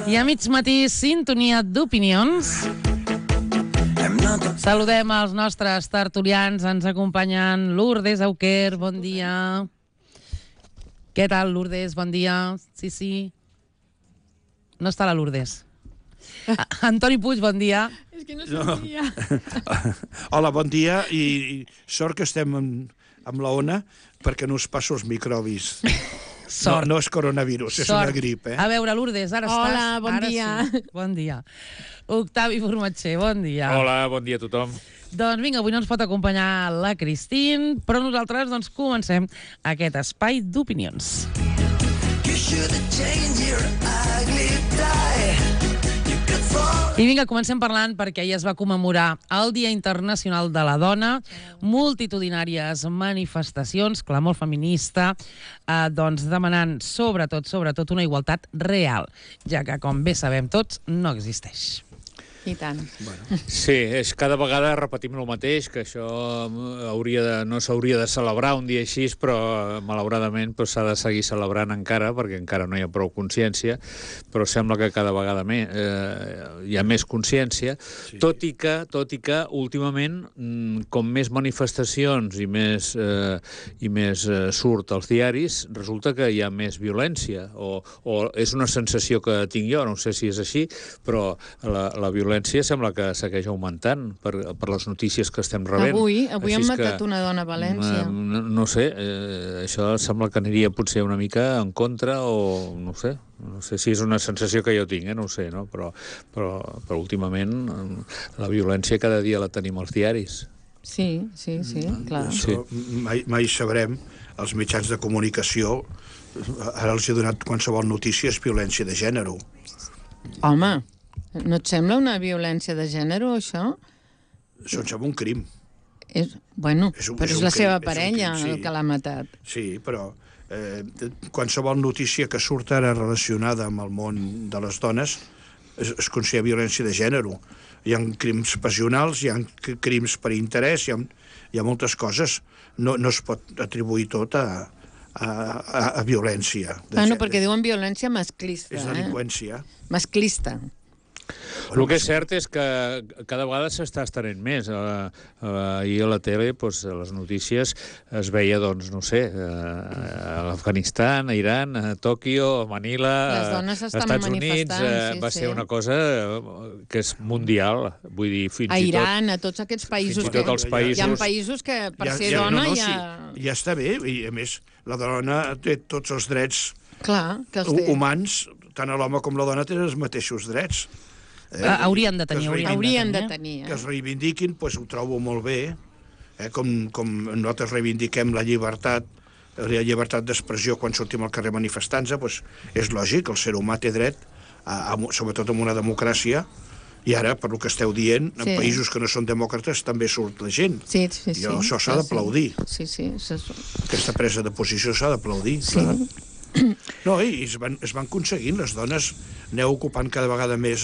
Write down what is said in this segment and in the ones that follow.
I a mig matí, sintonia d'opinions. Saludem els nostres tertulians. Ens acompanyen Lourdes Auquer, bon dia. Què tal, Lourdes? Bon dia. Sí. No està la Lourdes. Antoni Puig, bon dia. És que no sentia. Hola, bon dia, i sort que estem amb la ona perquè no us passo els microbis. Sort. No és coronavirus, és una grip, A veure, Lourdes, ara estàs... Hola, bon dia. Sí. Bon dia. Octavi Formatger, bon dia. Hola, bon dia a tothom. Doncs vinga, avui no ens pot acompanyar la Cristín, però nosaltres doncs comencem aquest espai d'opinions. I vinga, comencem parlant perquè ahir es va commemorar el Dia Internacional de la Dona, multitudinàries manifestacions, clamor feminista, doncs demanant sobretot una igualtat real, ja que, com bé sabem tots, no existeix. I tant. Sí, cada vegada repetim el mateix, que això no s'hauria de celebrar un dia així, però malauradament s'ha de seguir celebrant encara, perquè encara no hi ha prou consciència, però sembla que cada vegada hi ha més consciència, sí. Tot i que últimament, com més manifestacions i més surt als diaris, resulta que hi ha més violència, o és una sensació que tinc jo, no sé si és així, però la violència sembla que segueix augmentant per les notícies que estem rebent. Avui han matat una dona a València. No sé, això sembla que aniria potser una mica en contra o no sé si és una sensació que jo tinc, no ho sé, no? Però últimament la violència cada dia la tenim als diaris. Sí, clar. Això mai sabrem, els mitjans de comunicació, ara els he donat qualsevol notícia, és violència de gènere. Home, no et sembla una violència de gènere, això? Això em sembla un crim. Però és la seva parella el que l'ha matat. Sí, però qualsevol notícia que surt ara relacionada amb el món de les dones es considera violència de gènere. Hi ha crims passionals, hi ha crims per interès, hi ha moltes coses. No es pot atribuir tot a violència de gènere. Perquè diuen violència masclista. És delinqüència. Masclista. El que és cert és que cada vegada s'està estenent més. Ahir a la tele, a les notícies, es veia, a l'Afganistan, a Iran, a Tòquio, a Manila, als Estats Units. Va ser una cosa que és mundial. Vull dir, fins i tot... A Iran, a tots aquests països. Fins i tot els països... Hi ha països que, per ser dona, ja està bé. I, a més, la dona té tots els drets humans, tant a l'home com la dona tenen els mateixos drets. Haurien de tenir. Que es reivindiquin, ho trobo molt bé, com nosaltres reivindiquem la llibertat d'expressió quan sortim al carrer manifestant-se, és lògic, el ser humà té dret, sobretot en una democràcia, i ara, per el que esteu dient, en països que no són demòcrates també surt la gent. Sí. Això s'ha d'aplaudir. Sí. Aquesta presa de posició s'ha d'aplaudir, clar. No, i es van aconseguint, les dones aneu ocupant cada vegada més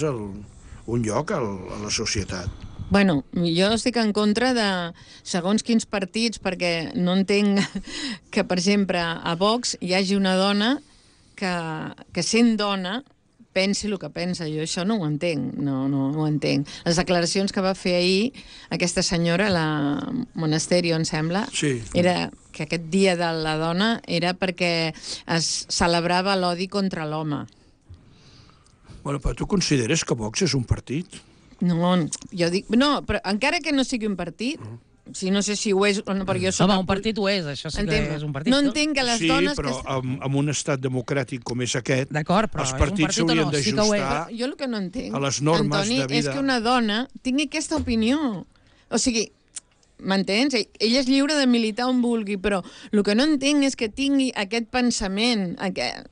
un lloc a la societat. Bueno, jo estic en contra de segons quins partits, perquè no entenc que, per exemple, a Vox hi hagi una dona que sent dona pensi el que pensa. Jo això no ho entenc, no ho entenc. Les declaracions que va fer ahir aquesta senyora, la Monasterio, em sembla, era que aquest dia de la dona era perquè es celebrava l'odi contra l'home. Bueno, però tu consideres que Vox és un partit? No, jo dic... No, però encara que no sigui un partit... no sé si ho és o no, perquè jo soc... Home, un partit ho és, això sí que és un partit. No entenc que les dones... Sí, però en un estat democràtic com és aquest, els partits s'haurien d'ajustar jo el que no entenc, a les normes de vida. Antoni, és que una dona tingui aquesta opinió. O sigui, m'entens? Ella és lliure de militar on vulgui, però el que no entenc és que tingui aquest pensament,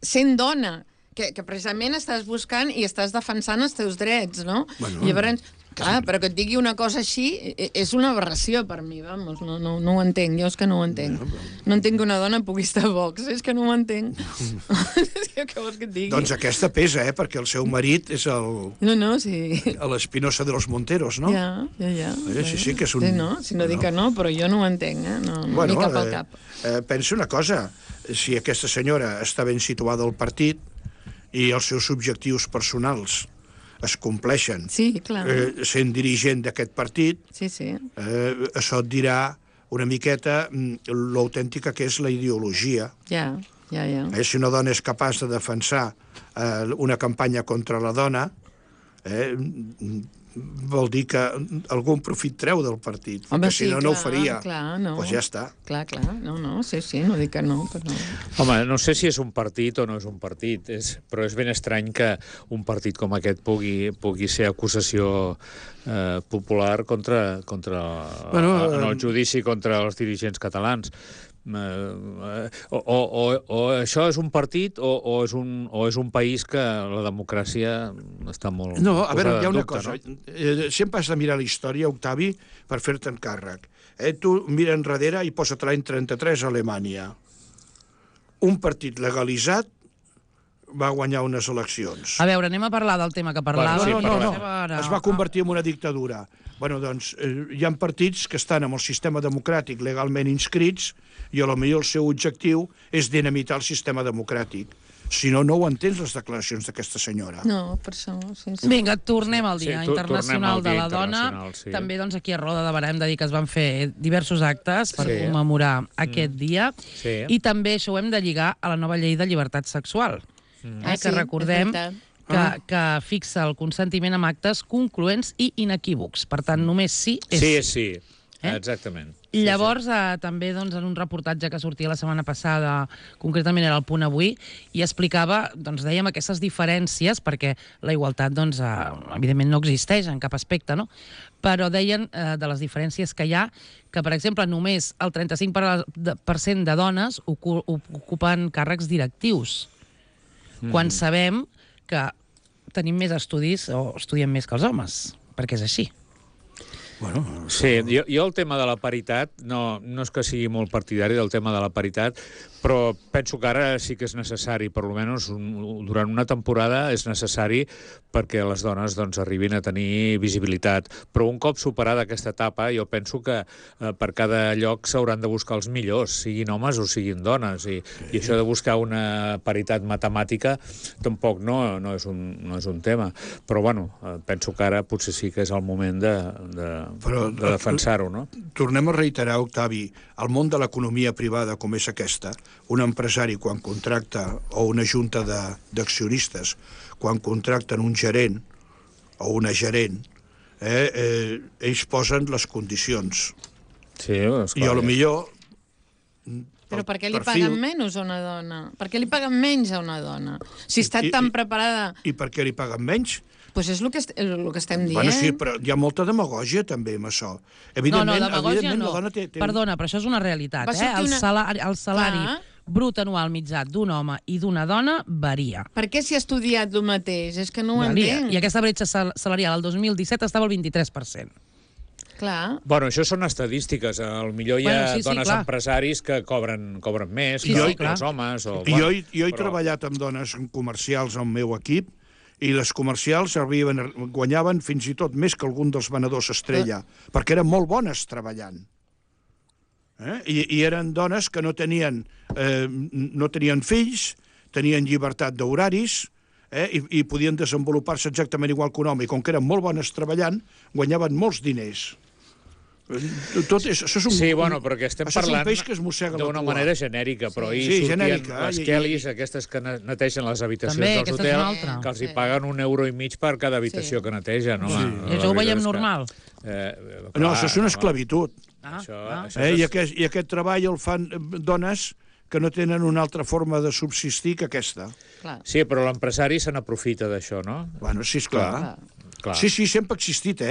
sent dona, que precisament estàs buscant i estàs defensant els teus drets, no? Llavors... Clar, però que et digui una cosa així és una aberració per mi, vamos, no ho entenc, jo és que no ho entenc. No entenc que una dona pugui estar a Vox, és que no ho entenc. Què vols que et digui? Doncs aquesta pesa, perquè el seu marit és l'Espinosa de los Monteros, no? Ja. Sí, que és un... Si no dic que no, però jo no ho entenc, no m'hi cap al cap. Pensa una cosa, si aquesta senyora està ben situada al partit, i els seus objectius personals es compleixen Sí, clar. sent dirigent d'aquest partit, Sí, sí. això et dirà una miqueta l'autèntica que és la ideologia. Ja. Si una dona és capaç de defensar una campanya contra la dona, vol dir que algun profit treu del partit, Home, perquè si no, no ho faria. Clar, no. Doncs ja està. Clar, no, sí, no dic que no, però... Home, no sé si és un partit o no és un partit, però és ben estrany que un partit com aquest pugui ser acusació popular contra en el judici contra els dirigents catalans. O això és un partit o és un país que la democràcia està molt... No, a veure, hi ha una dubte, cosa. no? Sempre has de mirar la història, Octavi, per fer-te'n càrrec. Tu mira enrere i posa't l'any 33 a Alemanya. Un partit legalitzat va guanyar unes eleccions. A veure, anem a parlar del tema que parlàvem. No. Es va convertir en una dictadura. Bueno, doncs, hi ha partits que estan amb el sistema democràtic legalment inscrits i a lo millor el seu objectiu és dinamitar el sistema democràtic. Si no, no ho entens, les declaracions d'aquesta senyora. No, per això... Sí. Vinga, tornem al Dia Internacional de la Dona. Sí. També doncs, aquí a Roda de Barà hem de dir que es van fer diversos actes per commemorar aquest dia. Sí. I també això ho hem de lligar a la nova llei de llibertat sexual. Que recordem que fixa el consentiment amb actes concloents i inequívocs. Per tant, només sí és sí. És sí. Exactament. Llavors, també doncs, en un reportatge que sortia la setmana passada, concretament era el Punt Avui, i explicava, doncs dèiem, aquestes diferències, perquè la igualtat, doncs, evidentment no existeix en cap aspecte, no? Però deien de les diferències que hi ha, que, per exemple, només el 35% de dones ocupen càrrecs directius, quan sabem que tenim més estudis o estudiem més que els homes, perquè és així. Bueno, sí, jo el tema de la paritat, no és que sigui molt partidari del tema de la paritat, però penso que ara sí que és necessari, per almenys durant una temporada és necessari perquè les dones doncs, arribin a tenir visibilitat. Però un cop superada aquesta etapa, jo penso que per cada lloc s'hauran de buscar els millors, siguin homes o siguin dones, i això de buscar una paritat matemàtica tampoc no és un tema. Però bueno, penso que ara potser sí que és el moment de defensar-ho, no? Tornem a reiterar, Octavi, el món de l'economia privada com és aquesta, un empresari quan contracta, o una junta d'accionistes, quan contracten un gerent o una gerent, ells posen les condicions. Sí, esclar. I a lo millor... Però per què li paguen menys a una dona? Per què li paguen menys a una dona? Si està tan preparada... I per què li paguen menys? Doncs és el que estem dient. Bueno, sí, però hi ha molta demagògia també amb això. No, demagògia no. Perdona, però això és una realitat. El salari brut anual mitjà d'un home i d'una dona varia. Per què s'hi ha estudiat el mateix? És que no ho entenc. I aquesta bretxa salarial al 2017 estava al 23%. Clar. Bueno, això són estadístiques. Potser hi ha dones empresaris que cobren més que els homes. Jo he treballat amb dones comercials al meu equip i les comercials guanyaven fins i tot més que algun dels venedors estrella, perquè eren molt bones treballant. I eren dones que no tenien fills, tenien llibertat d'horaris, i podien desenvolupar-se exactament igual que un home, i com que eren molt bones treballant, guanyaven molts diners. Sí, bueno, perquè estem parlant d'una manera genèrica, però hi sortien les Kellys, aquestes que netegen les habitacions dels hotels, que els hi paguen €1,50 per cada habitació que netegen. I això ho veiem normal. No, això és una esclavitud. I aquest treball el fan dones que no tenen una altra forma de subsistir que aquesta. Sí, però l'empresari se n'aprofita d'això, no? Bueno, sí, esclar. Sí, sempre ha existit,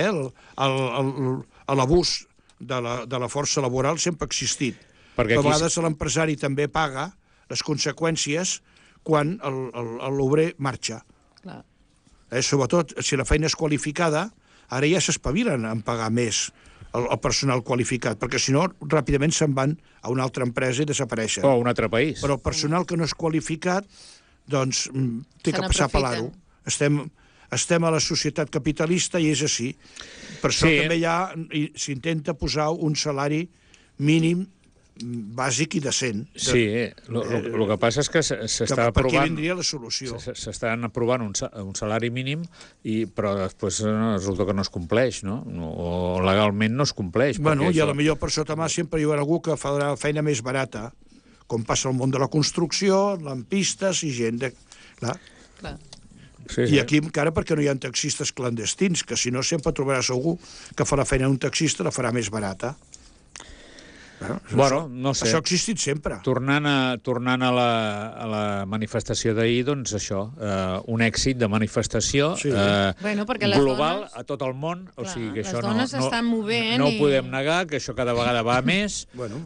l'abús de la força laboral sempre ha existit. A vegades l'empresari també paga les conseqüències quan l'obrer marxa. Sobretot, si la feina és qualificada, ara ja s'espavilen en pagar més el personal qualificat, perquè si no, ràpidament se'n van a una altra empresa i desapareixen. O a un altre país. Però el personal que no és qualificat, doncs, té que passar per l'aro. Estem a la societat capitalista i és així. Per això també s'intenta posar un salari mínim bàsic i decent. Sí, el que passa és que s'està aprovant... Per aquí vindria la solució. S'estan aprovant un salari mínim, però després resulta que no es compleix, no? O legalment no es compleix. Bueno, i a la millor per sota mà sempre hi haurà algú que farà feina més barata, com passa al món de la construcció, lampistes i gent de... Clar. Sí. I aquí encara perquè no hi ha taxistes clandestins, que si no sempre trobaràs algú que fa la feina d'un taxista la farà més barata. Bueno, no sé. Això ha existit sempre. Tornant a la manifestació d'ahir, doncs això, un èxit de manifestació global a tot el món. O sigui que això les dones s'estan movent. No ho podem negar, que això cada vegada va més,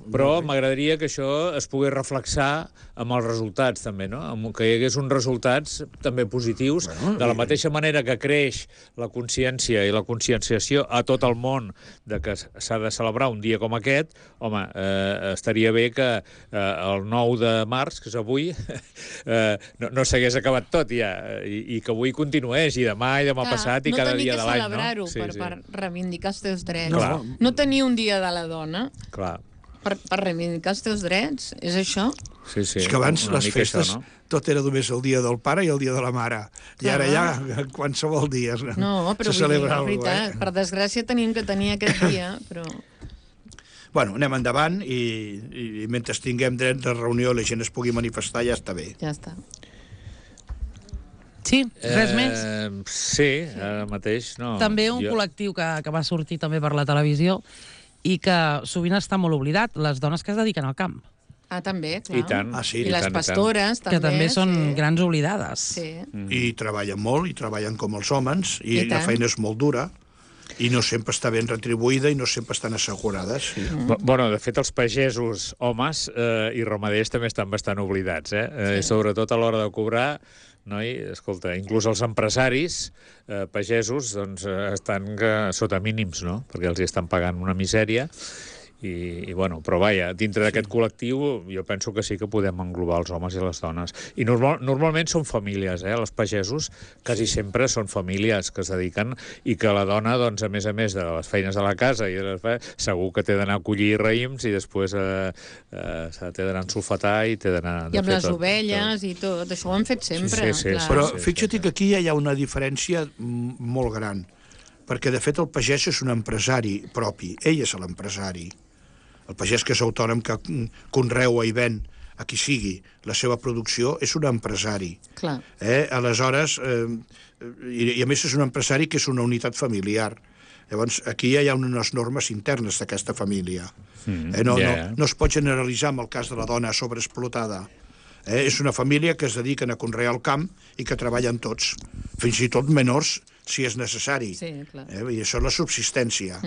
però m'agradaria que això es pogués reflexar amb els resultats, també, no? Que hi hagués uns resultats també positius, de la mateixa manera que creix la consciència i la conscienciació a tot el món de que s'ha de celebrar un dia com aquest. Home, estaria bé que el 9 de març, que és avui, no s'hagués acabat tot ja, i que avui continués, i demà passat, i cada dia de l'any. No tenir que celebrar-ho per reivindicar els teus drets. Clar. No tenir un dia de la dona Clar. per reivindicar els teus drets, és això? Sí. És que abans les festes tot era només el dia del pare i el dia de la mare. I ara ja qualsevol dia no, però se celebra la veritat, per desgràcia tenim que tenir aquest dia, però... Bueno, anem endavant i mentre tinguem dret de reunió i la gent es pugui manifestar, ja està bé. Ja està. Sí, res més? Sí, ara mateix no. També un col·lectiu que va sortir també per la televisió i que sovint està molt oblidat, les dones que es dediquen al camp. Ah, també, clar. I tant. I les pastores, també. Que també són grans oblidades. Sí. I treballen molt, i treballen com els homes, i la feina és molt dura, i no sempre està ben retribuïda i no sempre estan assegurades. Sí. Bueno, de fet, els pagesos homes i ramaders també estan bastant oblidats, sobretot a l'hora de cobrar. Escolta, inclús els empresaris pagesos doncs, estan sota mínims, no? Perquè els estan pagant una misèria. Però vaja, dintre d'aquest col·lectiu jo penso que sí que podem englobar els homes i les dones. I normalment són famílies, els pagesos quasi sempre són famílies que es dediquen i que la dona, doncs, a més de les feines de la casa, segur que té d'anar a collir raïms i després té d'anar a ensulfatar i té d'anar... I amb les ovelles i tot, això ho han fet sempre. Sí. Però fixa't que aquí ja hi ha una diferència molt gran, perquè de fet el pagès és un empresari propi, ell és l'empresari. El pagès que és autònom, que conreua i ven a qui sigui la seva producció, és un empresari. Clar. Aleshores, i a més és un empresari que és una unitat familiar. Llavors, aquí ja hi ha unes normes internes d'aquesta família. No es pot generalitzar amb el cas de la dona sobreexplotada. És una família que es dediquen a conrear el camp i que treballen tots, fins i tot menors, si és necessari. Sí, clar. I això és la subsistència.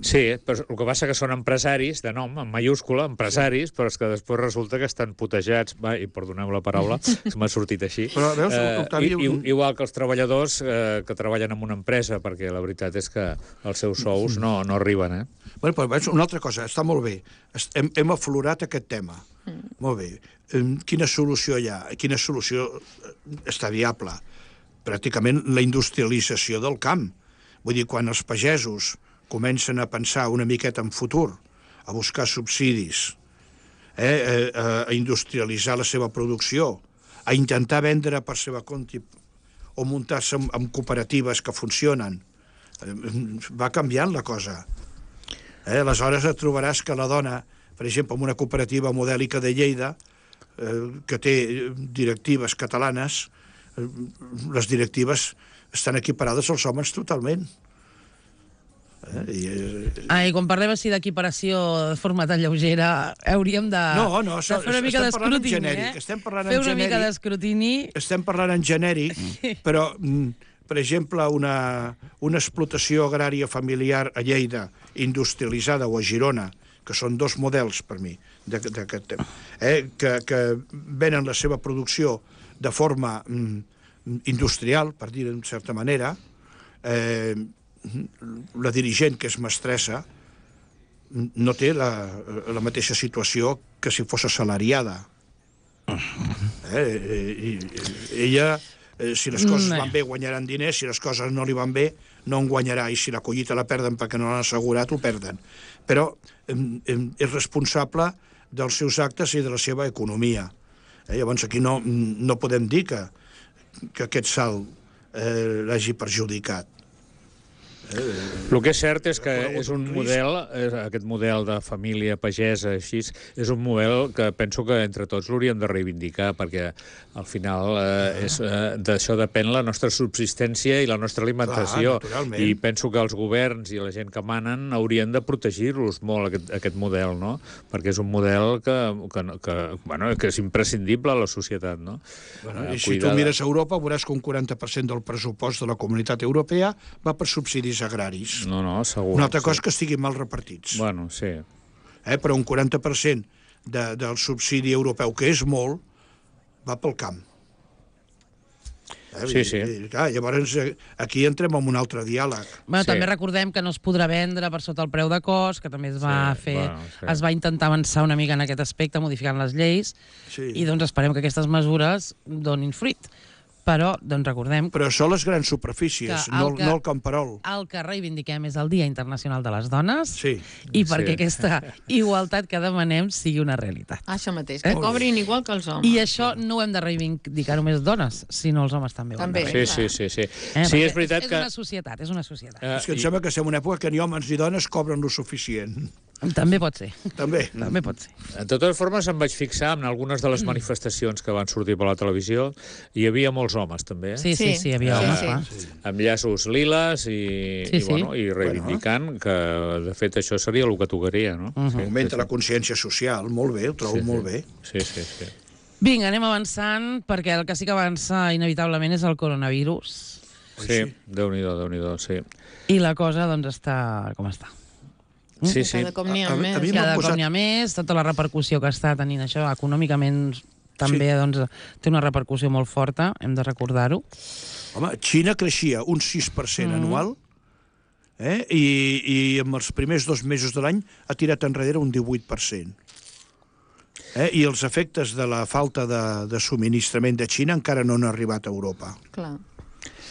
Sí, però el que passa que són empresaris, de nom, en mayúscula, empresaris, però és que després resulta que estan putejats, i perdoneu la paraula, m'ha sortit així, però, veus, Octavi, igual que els treballadors que treballen en una empresa, perquè la veritat és que els seus sous no arriben, Bueno, però veus, una altra cosa, està molt bé. Hem aflorat aquest tema. Molt bé. Quina solució hi ha? Quina solució està viable? Pràcticament la industrialització del camp. Vull dir, quan els pagesos comencen a pensar una miqueta en futur, a buscar subsidis, a industrialitzar la seva producció, a intentar vendre per seva compte o muntar-se en cooperatives que funcionen, va canviant la cosa. Aleshores et trobaràs que la dona, per exemple, en una cooperativa modèlica de Lleida, que té directives catalanes, les directives estan equiparades als homes totalment. I quan parlem així d'equiparació de forma tan lleugera, hauríem de fer una mica d'escrutini. Fer una mica d'escrutini. Estem parlant en genèric, però, per exemple, una explotació agrària familiar a Lleida, industrialitzada, o a Girona, que són dos models per mi d'aquest tema, que venen la seva producció de forma industrial, per dir-ho en certa manera, la dirigent, que és mestressa, no té la mateixa situació que si fos assalariada. Ella, si les coses van bé, guanyaran diners, si les coses no li van bé, no en guanyarà, i si la collita la perden perquè no l'han assegurat, ho perden. però és responsable dels seus actes i de la seva economia. Llavors aquí no podem dir que aquest salt l'hagi perjudicat. El que és cert és que és un model, aquest model de família pagesa, així, és un model que penso que entre tots l'hauríem de reivindicar, perquè al final d'això depèn la nostra subsistència i la nostra alimentació. I penso que els governs i la gent que manen haurien de protegir-los molt, aquest model, no? Perquè és un model que és imprescindible a la societat, no? I si tu mires a Europa, veuràs que un 40% del pressupost de la Comunitat Europea va per subsidis agraris. No, segur. Una altra cosa que estiguin mal repartits. Bueno, sí. Però un 40% del subsidi europeu, que és molt, va pel camp. Sí. Clar, llavors aquí entrem en un altre diàleg. També recordem que no es podrà vendre per sota el preu de cost, que també es va intentar avançar una mica en aquest aspecte, modificant les lleis, i doncs esperem que aquestes mesures donin fruit. Però, doncs recordem... Però són les grans superfícies, no el camperol. El que reivindiquem és el Dia Internacional de les Dones, i perquè aquesta igualtat que demanem sigui una realitat. Això mateix, que cobrin igual que els homes. I això no ho hem de reivindicar només dones, sinó els homes també. Sí. Sí, és veritat que... És una societat. És que em sembla que estem en una època que ni homes ni dones cobren lo suficient. També pot ser. També pot ser. De totes formes, em vaig fixar en algunes de les manifestacions que van sortir per la televisió. Hi havia molts homes, també. Sí, hi havia homes, clar. Amb llaços liles i reivindicant que, de fet, això seria el que tocaria, no? Augmenta la consciència social, molt bé, ho trobo molt bé. Sí. Vinga, anem avançant, perquè el que sí que avança inevitablement és el coronavirus. Sí, Déu-n'hi-do, sí. I la cosa, doncs, està com està. Sí. Cada cop n'hi ha més. Cada cop n'hi ha més, tota la repercussió que està tenint això econòmicament també té una repercussió molt forta, hem de recordar-ho. Home, Xina creixia un 6% anual i en els primers 2 mesos de l'any ha tirat enrere un 18%. I els efectes de la falta de subministrament de Xina encara no han arribat a Europa. Clar.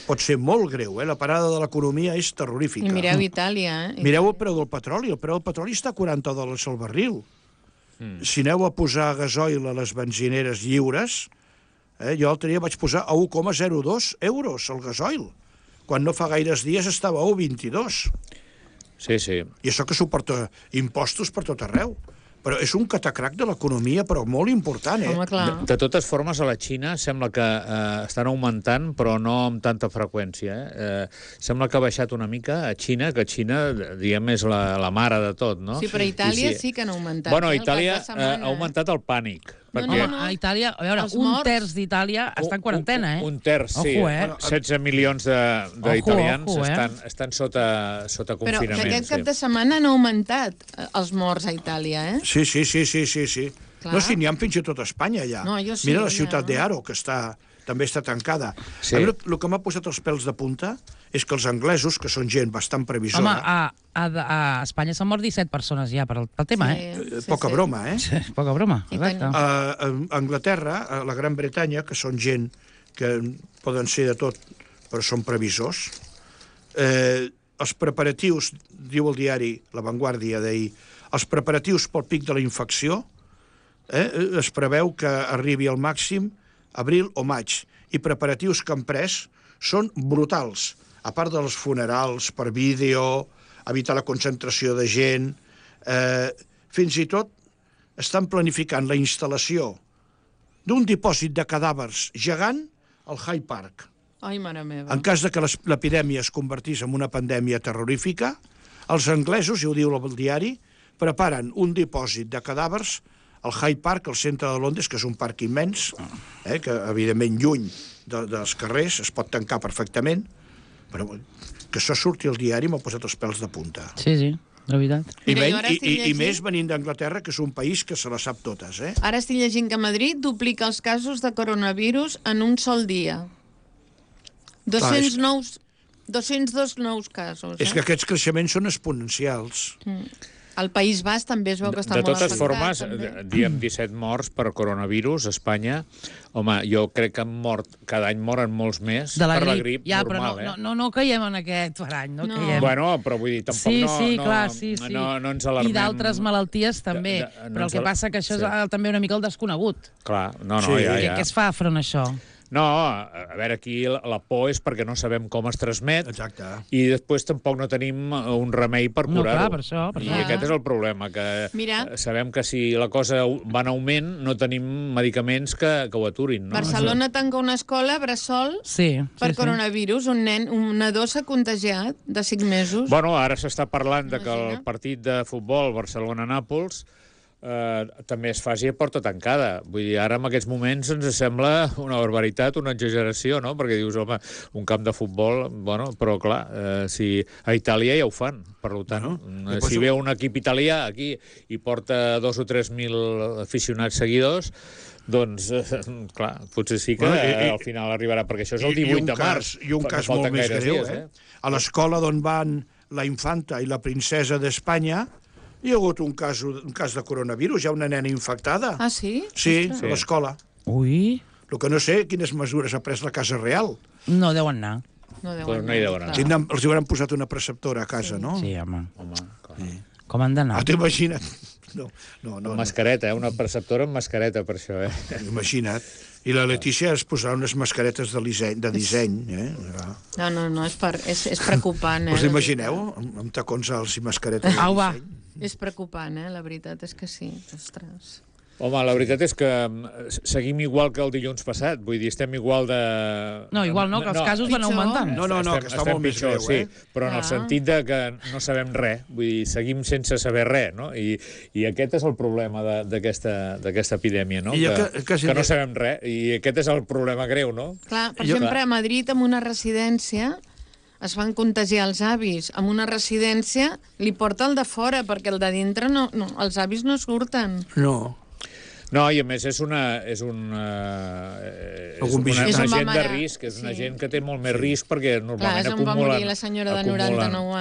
Pot ser molt greu, la parada de l'economia és terrorífica. I mireu Itàlia, Mireu el preu del petroli, el preu del petroli està a $40 al barril. Si aneu a posar gasoil a les benzineres lliures, jo l'altre dia vaig posar a 1,02 euros el gasoil, quan no fa gaires dies estava a 1,22. Sí. I això que suporta impostos per tot arreu. Però és un catacrac de l'economia, però molt important, Home, clar. De totes formes, a la Xina sembla que estan augmentant, però no amb tanta freqüència. Sembla que ha baixat una mica a Xina, que Xina, diguem, és la mare de tot, no? Sí, però a Itàlia sí que han augmentat. Bueno, a Itàlia ha augmentat el pànic. No. A Itàlia, a veure, un terç d'Itàlia està en quarantena, Un terç, sí. 16 milions d'italians estan sota confinament. Però que aquest cap de setmana han augmentat els morts a Itàlia, Sí. No, sí, n'hi ha fins i tot a Espanya, ja. Mira la ciutat d'Aro, que també està tancada. El que m'ha posat els pèls de punta és que els anglesos, que són gent bastant previsora... Home, a Espanya s'han mort 17 persones ja pel tema, Poca broma, Poca broma, exacte. A Anglaterra, a la Gran Bretanya, que són gent que poden ser de tot, però són previsors, els preparatius, diu el diari La Vanguardia d'ahir, els preparatius pel pic de la infecció es preveu que arribi al màxim abril o maig, i preparatius que han pres són brutals, a part dels funerals per vídeo, evitar la concentració de gent, fins i tot estan planificant la instal·lació d'un dipòsit de cadàvers gegant al Hyde Park. Ai, mare meva. En cas de que l'epidèmia es convertís en una pandèmia terrorífica, els anglesos, i ho diu el diari, preparen un dipòsit de cadàvers al Hyde Park, al centre de Londres, que és un parc immens, que evidentment lluny dels carrers, es pot tancar perfectament, però que això surti al diari m'ha posat els pèls de punta. Sí, de veritat. I més venint d'Anglaterra, que és un país que se la sap totes. Ara estic llegint que Madrid duplica els casos de coronavirus en un sol dia. 202 nous casos. És que aquests creixements són exponencials. Al País Basc també es veu que està De molt totes afectat. formes, també. diem 17 morts per coronavirus a Espanya. Home, jo crec que cada any moren molts més De la per la grip. grip Ja, normal, però no caiem en aquest parany, no caiem. Bueno, però vull dir, tampoc Sí. no ens alarmem. I d'altres malalties també, però el que passa que això és també una mica el desconegut. Clar, Què es fa front a això? No, a veure, aquí la por és perquè no sabem com es transmet. Exacte. I després tampoc no tenim un remei per No, curar-ho. clar, per això. I aquest és el problema, que sabem que si la cosa va en augment no tenim medicaments que ho aturin. No? Barcelona tanca una escola bressol per coronavirus. Un nadó s'ha contagiat de 5 mesos. Bueno, ara s'està parlant de que el partit de futbol Barcelona-Nàpols també es faci a porta tancada. Vull dir, ara en aquests moments ens sembla una barbaritat, una exageració, no? Perquè dius, home, un camp de futbol, bueno, però clar, si a Itàlia ja ho fan, per tant, si ve un equip italià aquí i porta 2 o 3.000 aficionats seguidors, doncs, clar, potser sí que al final arribarà, perquè això és el 18 de març. I un cas molt més greu, a l'escola d'on van la infanta i la princesa d'Espanya hi ha hagut un cas de coronavirus, hi ha una nena infectada. Ah, sí? Sí, a l'escola. Ui. El que no sé, quines mesures ha pres la Casa Real. No deuen anar. No hi deuen anar. Els hauran posat una preceptora a casa, no? Sí, home. Com han d'anar? T'ho imagina't. Amb mascareta, una preceptora amb mascareta, per això, Imagina't. I la Letícia es posarà unes mascaretes de disseny, No, és preocupant, Us imagineu? Amb tacons alts i mascaretes de disseny? És preocupant, la veritat és que sí. Ostres. Home, la veritat és que seguim igual que el dilluns passat, vull dir, estem igual de... No, igual no, que els casos van augmentant. No, que està molt més greu, però en el sentit de que no sabem res, vull dir, seguim sense saber res, no? I aquest és el problema d'aquesta epidèmia, no? Que no sabem res, i aquest és el problema greu, no? Clar, per exemple, a Madrid, en una residència, es van contagiar els avis. En una residència li porta el de fora, perquè el de dintre els avis no surten. No, i a més és una gent de risc, és una gent que té molt més risc perquè normalment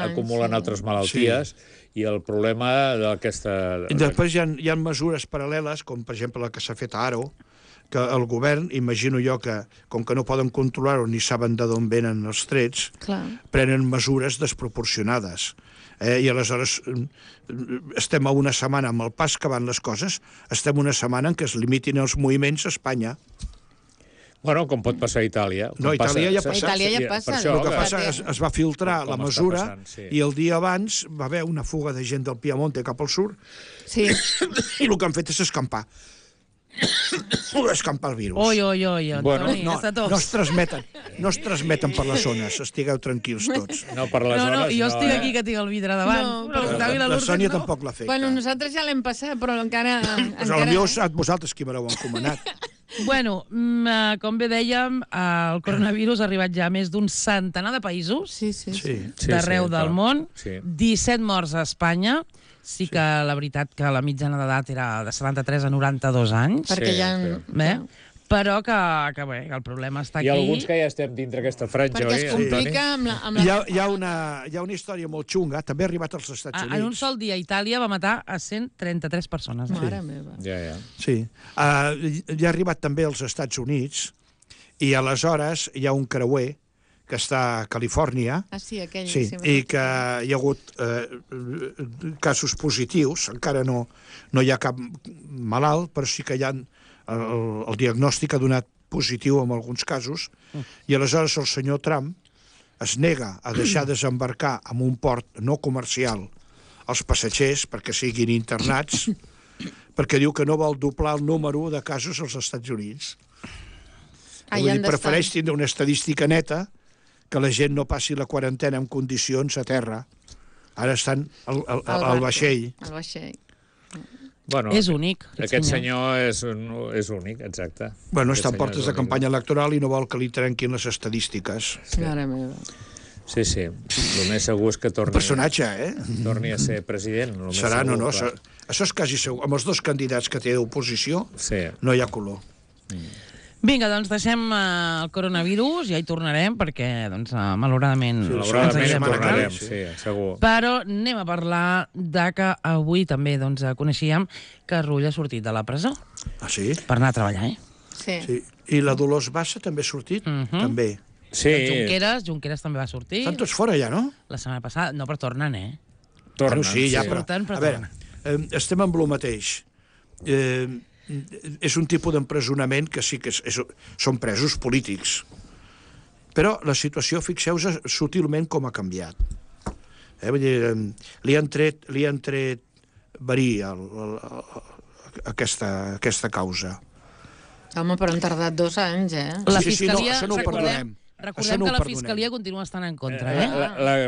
acumulen altres malalties i el problema d'aquesta... I després hi ha mesures paral·leles, com per exemple la que s'ha fet a Aro, que el govern, imagino jo que, com que no poden controlar-ho ni saben d'on venen els trets, prenen mesures desproporcionades. I aleshores estem a una setmana, amb el pas que van les coses, estem una setmana en què es limitin els moviments a Espanya. Bueno, com pot passar a Itàlia. No, a Itàlia ja passa. El que passa es va filtrar la mesura i el dia abans va haver una fuga de gent del Piemonte cap al sud i el que han fet és escampar el virus. Oi, Antoni, no es transmeten per les zones, estigueu tranquils tots. No, per les zones no. Jo estic aquí que tinc el vidre davant. La Sònia tampoc l'ha fet. Bueno, nosaltres ja l'hem passat, però encara... Potser vosaltres qui me l'heu encomanat. Bueno, com bé dèiem, el coronavirus ha arribat ja a més d'un centenar de països d'arreu del món, 17 morts a Espanya. Sí que la veritat que la mitjana d'edat era de 73 a 92 anys. Perquè ja... Però que el problema està aquí. I alguns que ja estem dintre aquesta franja, perquè es complica amb la... Hi ha una història molt xunga, també ha arribat als Estats Units. En un sol dia Itàlia va matar a 133 persones. Mare meva. Sí. Ja ha arribat també als Estats Units i aleshores hi ha un creuer que està a Califòrnia, i que hi ha hagut casos positius, encara no hi ha cap malalt, però sí que hi ha el diagnòstic ha donat positiu en alguns casos, i aleshores el senyor Trump es nega a deixar desembarcar en un port no comercial els passatgers perquè siguin internats, perquè diu que no vol doblar el número de casos als Estats Units. Prefereix tindre una estadística neta que la gent no passi la quarantena en condicions a terra. Ara estan al vaixell. Bueno, és únic. Aquest senyor és únic, exacte. Bueno, està en portes de campanya electoral i no vol que li trenquin les estadístiques. Mare meva. Sí. El més segur és que torni... Un personatge, torni a ser president. Serà, no. Això és quasi segur. Amb els dos candidats que té d'oposició no hi ha color. Vinga, doncs deixem el coronavirus, ja hi tornarem, perquè, doncs, malauradament... Malauradament hi setmana tornarem, que ve, sí, segur. Però anem a parlar de que avui també doncs, coneixíem que Rull ha sortit de la presó Ah, sí? per anar a treballar, Sí. Sí. I la Dolors Bassa també ha sortit? També. Sí, Junqueras també va sortir Estan tots fora ja, no? la setmana passada. No, però tornen, tornen. Bueno, sí, ja, sí. però... Surten, però A veure, estem amb el mateix. És un tipus d'empresonament que sí que són presos polítics. Però la situació, fixeu-vos sutilment com ha canviat. Vull dir, li han tret verí aquesta causa. Home, però han tardat 2 anys, La Sí, sí, no, Fiscalia, això no ho perdonem. recordem Això no ho que la perdonem. Fiscalia continua estant en contra,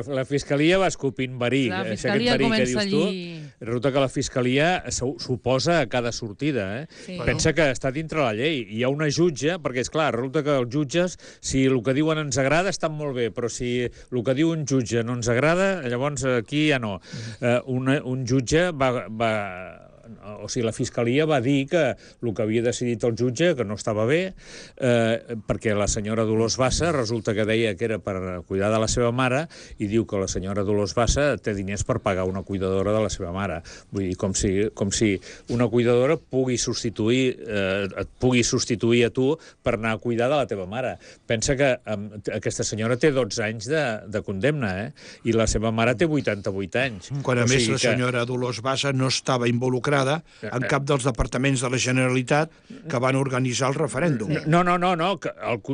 La Fiscalia va escopint verí. La Aquest Fiscalia verí que comença dius tu, allí. resulta que la Fiscalia s'oposa a cada sortida. Sí. Pensa que està dintre la llei. Hi ha una jutge, perquè, és clar, resulta que els jutges, si el que diuen ens agrada, estan molt bé, però si el que diu un jutge no ens agrada, llavors aquí ja no. Un jutge o sigui, la Fiscalia va dir que el que havia decidit el jutge, que no estava bé, perquè la senyora Dolors Bassa resulta que deia que era per cuidar de la seva mare i diu que la senyora Dolors Bassa té diners per pagar una cuidadora de la seva mare. Vull dir, com si una cuidadora et pugui substituir a tu per anar a cuidar de la teva mare. Pensa que aquesta senyora té 12 anys de condemna, i la seva mare té 88 anys. Quan, a més, la senyora Dolors Bassa no estava involucrada en cap dels departaments de la Generalitat que van organitzar el referèndum. No.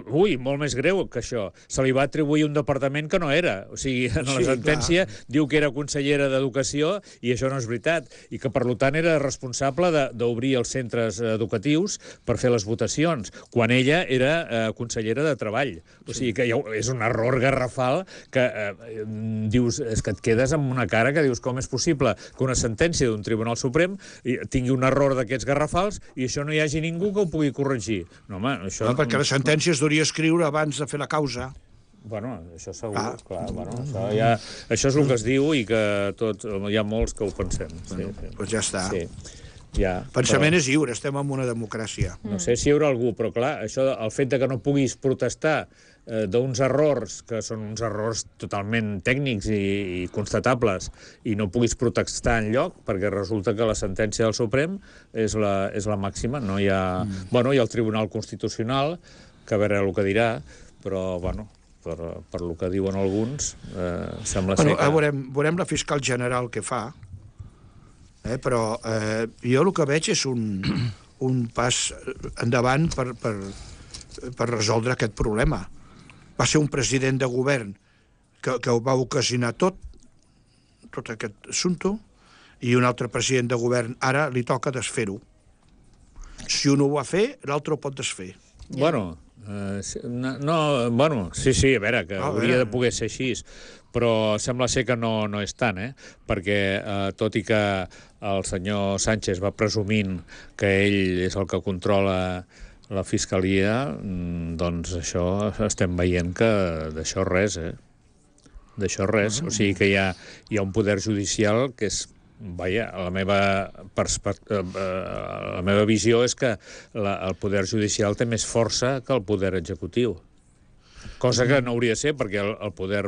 Ui, molt més greu que això. Se li va atribuir un departament que no era. O sigui, en la sentència diu que era consellera d'Educació i això no és veritat. I que, per tant, era responsable d'obrir els centres educatius per fer les votacions, quan ella era consellera de Treball. O sigui, que és un error garrafal que dius, és que et quedes amb una cara que dius com és possible que una sentència d'un Tribunal Suprem tingui un error d'aquests garrafals i això no hi hagi ningú que ho pugui corregir. No, home, això... No, perquè la sentència es hauria escriure abans de fer la causa. Bueno, això segur, clar. Bueno, això és el que es diu i que hi ha molts que ho pensem. Doncs ja està. Sí. Ja, Pensament és lliure, estem en una democràcia. No sé si hi haurà algú, però clar, el fet de que no puguis protestar d'uns errors, que són uns errors totalment tècnics i constatables, i no puguis protestar enlloc, perquè resulta que la sentència del Suprem és la màxima. No hi ha... Bueno, hi ha el Tribunal Constitucional, que a veure el que dirà, però, bueno, per lo que diuen alguns, sembla ser que... Veurem la fiscal general que fa, però jo el que veig és un pas endavant per resoldre aquest problema. Va ser un president de govern que ho va ocasionar tot aquest assumpte, i un altre president de govern ara li toca desfer-ho. Si un ho va fer, l'altre ho pot desfer. Bueno, sí, a veure, que hauria de poder ser així, però sembla ser que no és tant, perquè tot i que el senyor Sánchez va presumint que ell és el que controla la Fiscalia, doncs això estem veient que d'això res, d'això res. O sigui que hi ha un poder judicial que és... Vaja, la meva visió és que el poder judicial té més força que el poder executiu. Cosa que no hauria de ser, perquè el poder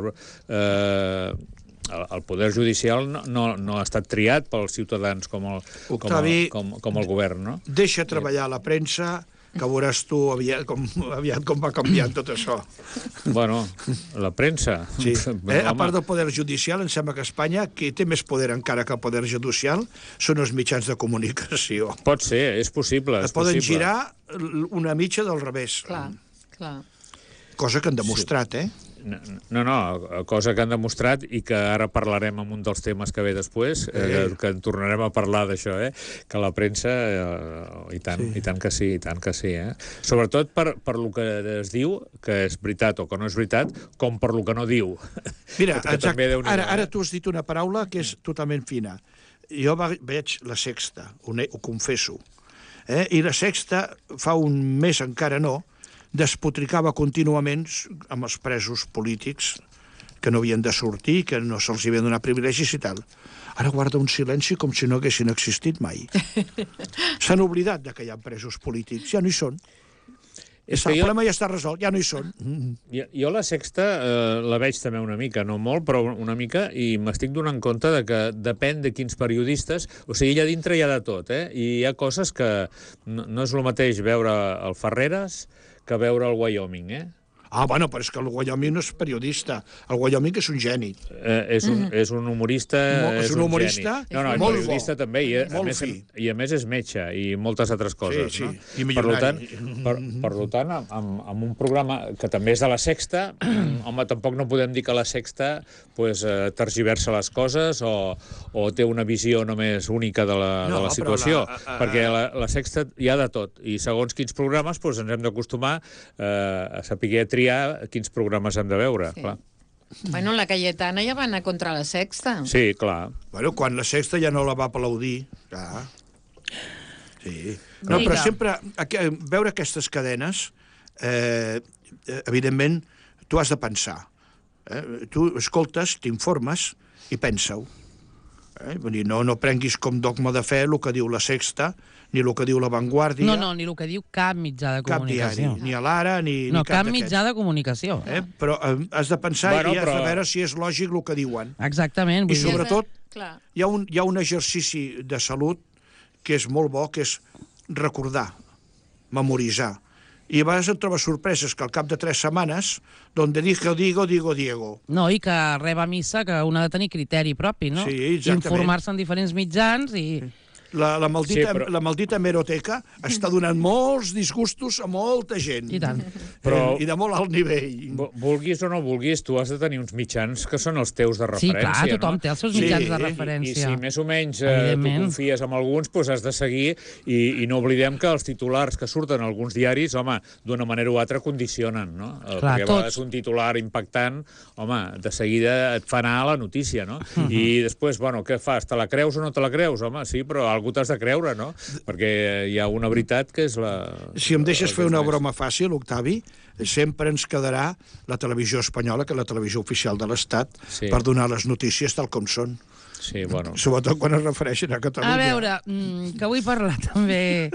judicial no ha estat triat pels ciutadans com el govern, no? Deixa treballar la premsa, que veuràs tu aviat com va canviant tot això. Bueno, la premsa... Sí. A part del poder judicial, em sembla que a Espanya qui té més poder encara que el poder judicial són els mitjans de comunicació. Pot ser, és possible. Es poden girar una mitja del revés. Clar. Cosa que han demostrat, No, cosa que han demostrat i que ara parlarem en un dels temes que ve després, que en tornarem a parlar d'això, que la premsa, i tant que sí, Sobretot per lo que es diu, que és veritat o que no és veritat, com per lo que no diu. Mira, ara tu has dit una paraula que és totalment fina. Jo veig La Sexta, ho confesso, i La Sexta fa un mes encara no, despotricava contínuament amb els presos polítics que no havien de sortir, que no se'ls havien donat privilegis i tal. Ara guarda un silenci com si no haguessin existit mai. S'han oblidat que hi ha presos polítics, ja no hi són. El problema ja està resolt, ja no hi són. Jo la Sexta la veig també una mica, no molt, però una mica, i m'estic donant compte de que depèn de quins periodistes... O sigui, allà dintre hi ha de tot, I hi ha coses que no és el mateix veure el Ferreres que veure el Wyoming, Bueno, però és que el Wyoming no és periodista. El Wyoming és un geni. És un humorista... És un humorista No, és periodista també, i a més és metge i moltes altres coses. Sí, i milionari. Per tant, amb un programa que també és de la Sexta, home, tampoc no podem dir que la Sexta tergiversa les coses o té una visió només única de la situació, perquè la Sexta hi ha de tot, i segons quins programes ens hem d'acostumar a saber triar quins programes hem de veure, clar. Bueno, la Cayetana ja va anar contra la Sexta. Sí, clar. Bueno, quan la Sexta ja no la va aplaudir, clar. Sí. No, però sempre, veure aquestes cadenes, evidentment, tu has de pensar. Tu escoltes, t'informes i pensa-ho. Vull dir, no prenguis com dogma de fe el que diu la Sexta, ni el que diu La Vanguardia... No, ni el que diu cap mitjà de comunicació. Cap diari, ni a l'Ara, ni cap d'aquests. No, cap mitjà de comunicació. Però has de pensar i has de veure si és lògic el que diuen. Exactament. I sobretot, hi ha un exercici de salut que és molt bo, que és recordar, memoritzar. I a vegades et trobes sorpreses que al cap de 3 setmanes, donde digo, digo Diego. No, i que reba missa, que un ha de tenir criteri propi, no? Sí, exactament. Informar-se en diferents mitjans i... La maldita hemeroteca està donant molts disgustos a molta gent. I tant. I de molt alt nivell. Vulguis o no vulguis, tu has de tenir uns mitjans que són els teus de referència. Sí, clar, tothom té els seus mitjans de referència. I si més o menys tu confies en alguns, doncs has de seguir i no oblidem que els titulars que surten a alguns diaris, home, d'una manera o altra condicionen, no? Perquè a vegades un titular impactant, home, de seguida et fa anar a la notícia, no? I després, bueno, què fas? Te la creus o no te la creus? Home, sí, però algú t'has de creure, no? Perquè hi ha una veritat que és la... Si em deixes fer una broma fàcil, Octavi, sempre ens quedarà la televisió espanyola, que és la televisió oficial de l'Estat, per donar les notícies tal com són. Sí, bueno. Sobretot quan es refereixen a Catalunya. A veure, que vull parlar també...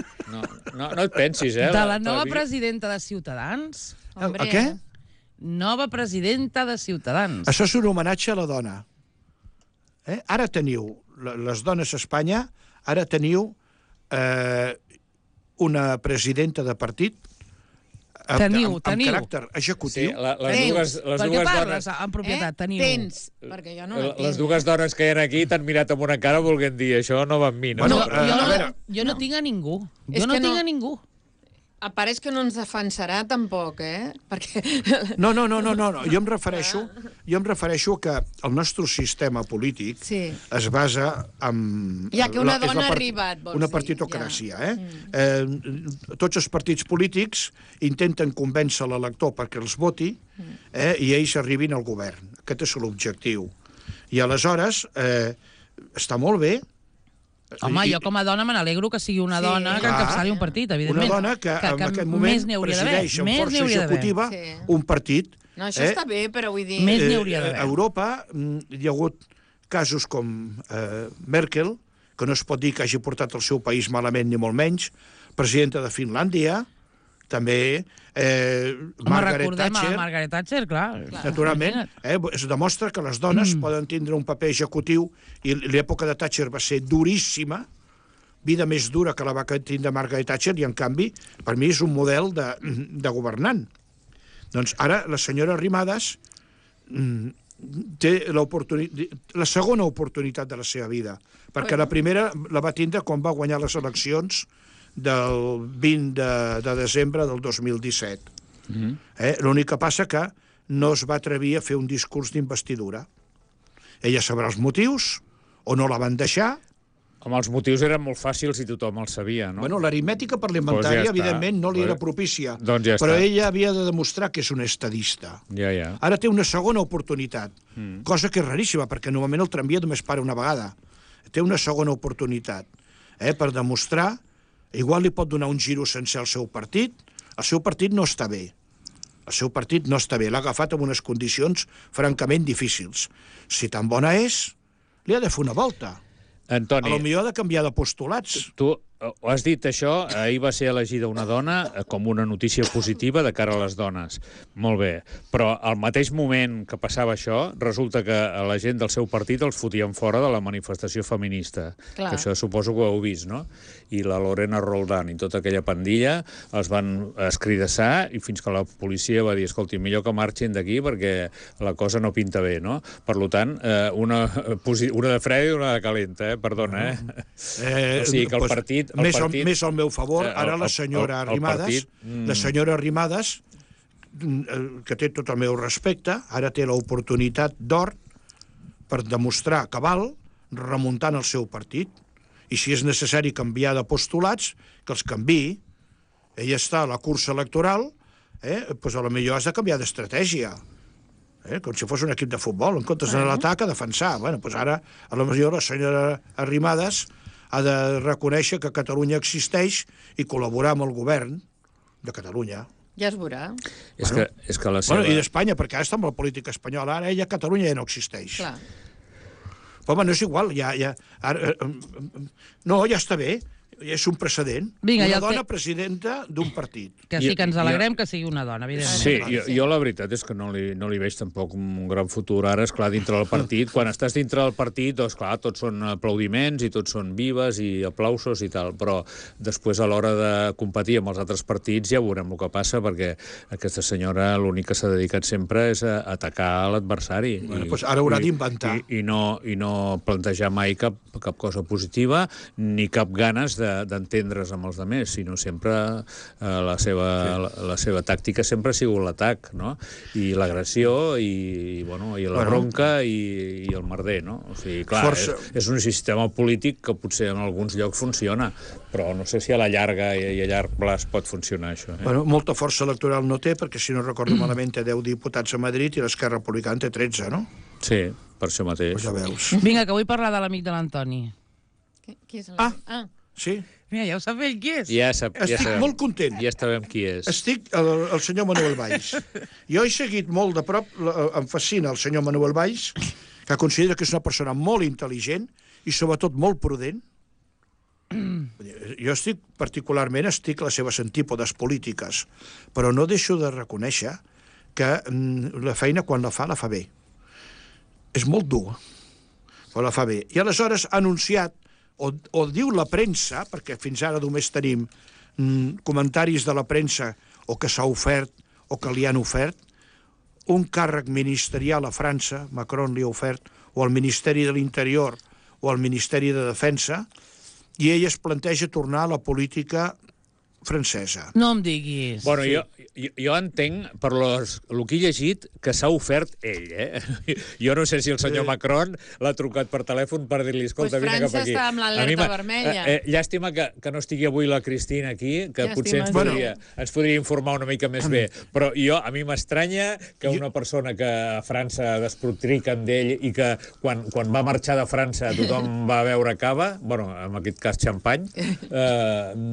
No et pensis, de la nova presidenta de Ciutadans. A què? Nova presidenta de Ciutadans. Això és un homenatge a la dona. Ara teniu, les dones a Espanya, ara teniu una presidenta de partit amb caràcter executiu. Per què parles en propietat? Tens, perquè jo no la tinc. Les dues dones que hi ha aquí t'han mirat amb una cara volent dir això no va amb mi. Jo no tinc a ningú. Jo no tinc a ningú. Pareix que no ens defensarà tampoc, Perquè... No. Jo em refereixo que el nostre sistema polític es basa en... Ja que una dona ha arribat, vols dir. Una partitocràcia, Tots els partits polítics intenten convèncer l'elector perquè els voti i ells arribin al govern. Aquest és l'objectiu. I aleshores està molt bé. Home, jo com a dona me n'alegro que sigui una dona que encapçali un partit, evidentment. Una dona que en aquest moment presideix amb força executiva un partit. No, això està bé, però vull dir... Més n'hi hauria d'haver. A Europa hi ha hagut casos com Merkel, que no es pot dir que hagi portat el seu país malament ni molt menys, presidenta de Finlàndia, també Margaret Thatcher. Margaret Thatcher, clar. Naturalment, es demostra que les dones poden tindre un paper executiu i l'època de Thatcher va ser duríssima, vida més dura que la va tindre Margaret Thatcher, i en canvi, per mi és un model de governant. Doncs ara la senyora Arrimadas té la segona oportunitat de la seva vida, perquè la primera la va tindre quan va guanyar les eleccions del 20 de desembre del 2017. L'únic que passa que no es va atrevir a fer un discurs d'investidura. Ella sabrà els motius, o no la van deixar. Home, els motius eren molt fàcils i tothom els sabia, no? Bueno, l'aritmètica parlamentària, evidentment, no li era propícia. Doncs ja però ella havia de demostrar que és una estadista. Ja. Ara té una segona oportunitat, cosa que és raríssima, perquè normalment el tramvia només para una vegada. Té una segona oportunitat per demostrar. Igual li pot donar un giro sencer al seu partit. El seu partit no està bé. L'ha agafat en unes condicions francament difícils. Si tan bona és, li ha de fer una volta. Antoni, potser ha de canviar de postulats. Tu Ho has dit, això, ahir va ser elegida una dona com una notícia positiva de cara a les dones. Molt bé. Però al mateix moment que passava això, resulta que la gent del seu partit els fotien fora de la manifestació feminista. Clar. Que això suposo que ho heu vist, no? I la Lorena Roldán i tota aquella pandilla els van escridassar i fins que la policia va dir, escolti, millor que marxin d'aquí perquè la cosa no pinta bé, no? Per tant, una de freda i una de calenta, perdona, o sigui que el partit... Més al meu favor, ara la senyora Arrimadas, que té tot el meu respecte, ara té l'oportunitat d'or per demostrar que val remuntant el seu partit. I si és necessari canviar de postulats, que els canviï. Ella està a la cursa electoral, doncs a lo millor has de canviar d'estratègia. Com si fos un equip de futbol, en comptes d'anar a l'atac a defensar. Doncs ara, a lo millor la senyora Arrimadas ha de reconèixer que Catalunya existeix i col·laborar amb el govern de Catalunya. Ja es veurà. És que la seva... I d'Espanya, perquè ara està amb la política espanyola, ara ella, Catalunya, ja no existeix. Clar. Però no és igual, no, ja està bé. És un precedent. Vinga, una dona presidenta d'un partit. Que sí que ens alegrem que sigui una dona, evidentment. Sí, jo la veritat és que no li veig tampoc un gran futur. Ara, esclar, dintre del partit, quan estàs dintre del partit, doncs, clar, tots són aplaudiments i tots són vives i aplausos i tal, però després, a l'hora de competir amb els altres partits, ja veurem el que passa, perquè aquesta senyora l'únic que s'ha dedicat sempre és a atacar l'adversari. Doncs ara haurà d'inventar. I no plantejar mai cap cosa positiva, ni cap ganes d'entendre's amb els altres, sinó sempre la seva tàctica sempre ha sigut l'atac, no? I l'agressió i la bronca i el merder, no? O sigui, clar, és un sistema polític que potser en alguns llocs funciona, però no sé si a la llarga i a llarg plaç pot funcionar això. Molta força electoral no té, perquè si no recordo malament té 10 diputats a Madrid i l'Esquerra Republicana té 13, no? Sí, per això mateix. Ja veus. Vinga, que vull parlar de l'amic de l'Antoni. Qui és l'amic? Sí? Mira, ja ho sap ell qui és. Estic molt content. Ja sabem qui és. Estic el senyor Manuel Valls. Jo he seguit molt de prop, em fascina el senyor Manuel Valls, que considera que és una persona molt intel·ligent i sobretot molt prudent. Jo particularment estic a les seves antípodes polítiques, però no deixo de reconèixer que la feina quan la fa bé. És molt dur, però la fa bé. I aleshores ha anunciat o diu la premsa, perquè fins ara només tenim comentaris de la premsa o que s'ha ofert o que li han ofert, un càrrec ministerial a França, Macron li ha ofert, o al Ministeri de l'Interior o al Ministeri de Defensa, i ell es planteja tornar a la política francesa. No em diguis. Bueno, jo entenc, per el que he llegit, que s'ha ofert ell, Jo no sé si el senyor Macron l'ha trucat per telèfon per dir-li, escolta, vine cap aquí. França està amb l'alerta vermella. Llàstima que no estigui avui la Cristina aquí, que potser ens podria informar una mica més bé. Però a mi m'estranya que una persona que a França despotriquen d'ell i que quan va marxar de França tothom va beure cava, bueno, en aquest cas xampany,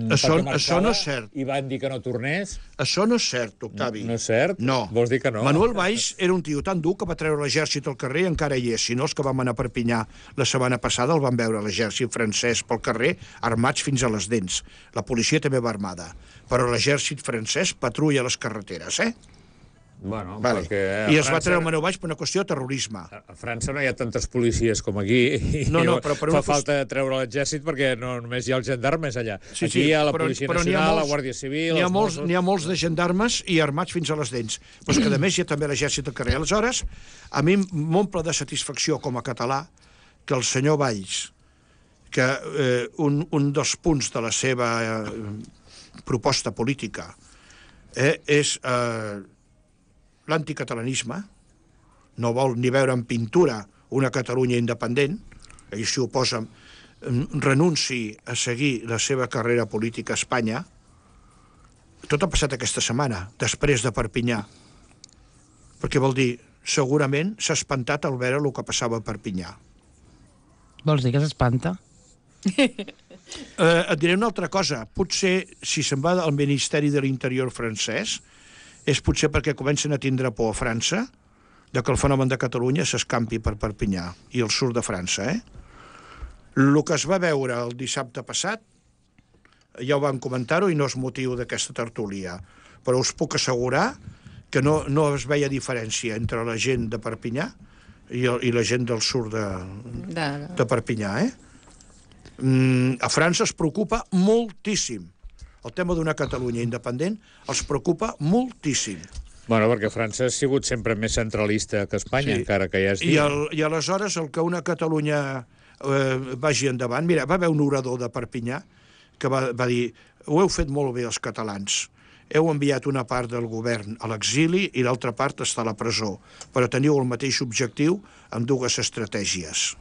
això no és cert. I van dir que no tornés. Això no és cert, Octavi. No és cert? No. Vols dir que no? Manuel Valls era un tio tan dur que va treure l'exèrcit al carrer i encara hi és. Si no, els que vam anar a Perpinyà la setmana passada el van veure l'exèrcit francès pel carrer armats fins a les dents. La policia també va armada. Però l'exèrcit francès patrulla les carreteres, Bueno, vale. I es va treure Manuel Valls per una qüestió de terrorisme. A França no hi ha tantes policies com aquí i però fa falta treure l'exèrcit perquè no només hi ha els gendarmes allà. Aquí hi ha la Policia Nacional, la Guàrdia Civil... N'hi ha molts de gendarmes i armats fins a les dents. Però és que, a més, hi ha també l'exèrcit al carrer. Aleshores, a mi m'omple de satisfacció com a català que el senyor Valls, que un dels punts de la seva proposta política és l'anticatalanisme, no vol ni veure en pintura una Catalunya independent, ell s'hi oposa, renunci a seguir la seva carrera política a Espanya. Tot ha passat aquesta setmana, després de Perpinyà, perquè vol dir, segurament s'ha espantat al veure el que passava a Perpinyà. Vols dir que s'espanta? Et diré una altra cosa. Potser, si se'n va al Ministeri de l'Interior francès, és potser perquè comencen a tindre por a França de que el fenomen de Catalunya s'escampi per Perpinyà i el sud de França, El que es va veure el dissabte passat ja ho vam comentar-ho i no és motiu d'aquesta tertúlia, però us puc assegurar que no es veia diferència entre la gent de Perpinyà i la gent del sud de Perpinyà, A França es preocupa moltíssim. El tema d'una Catalunya independent els preocupa moltíssim. Bueno, perquè França ha sigut sempre més centralista que Espanya, encara que ja es diu. I aleshores el que una Catalunya vagi endavant... Mira, va haver un orador de Perpinyà que va dir: ho heu fet molt bé els catalans, heu enviat una part del govern a l'exili i l'altra part està a la presó, però teniu el mateix objectiu amb dues estratègies.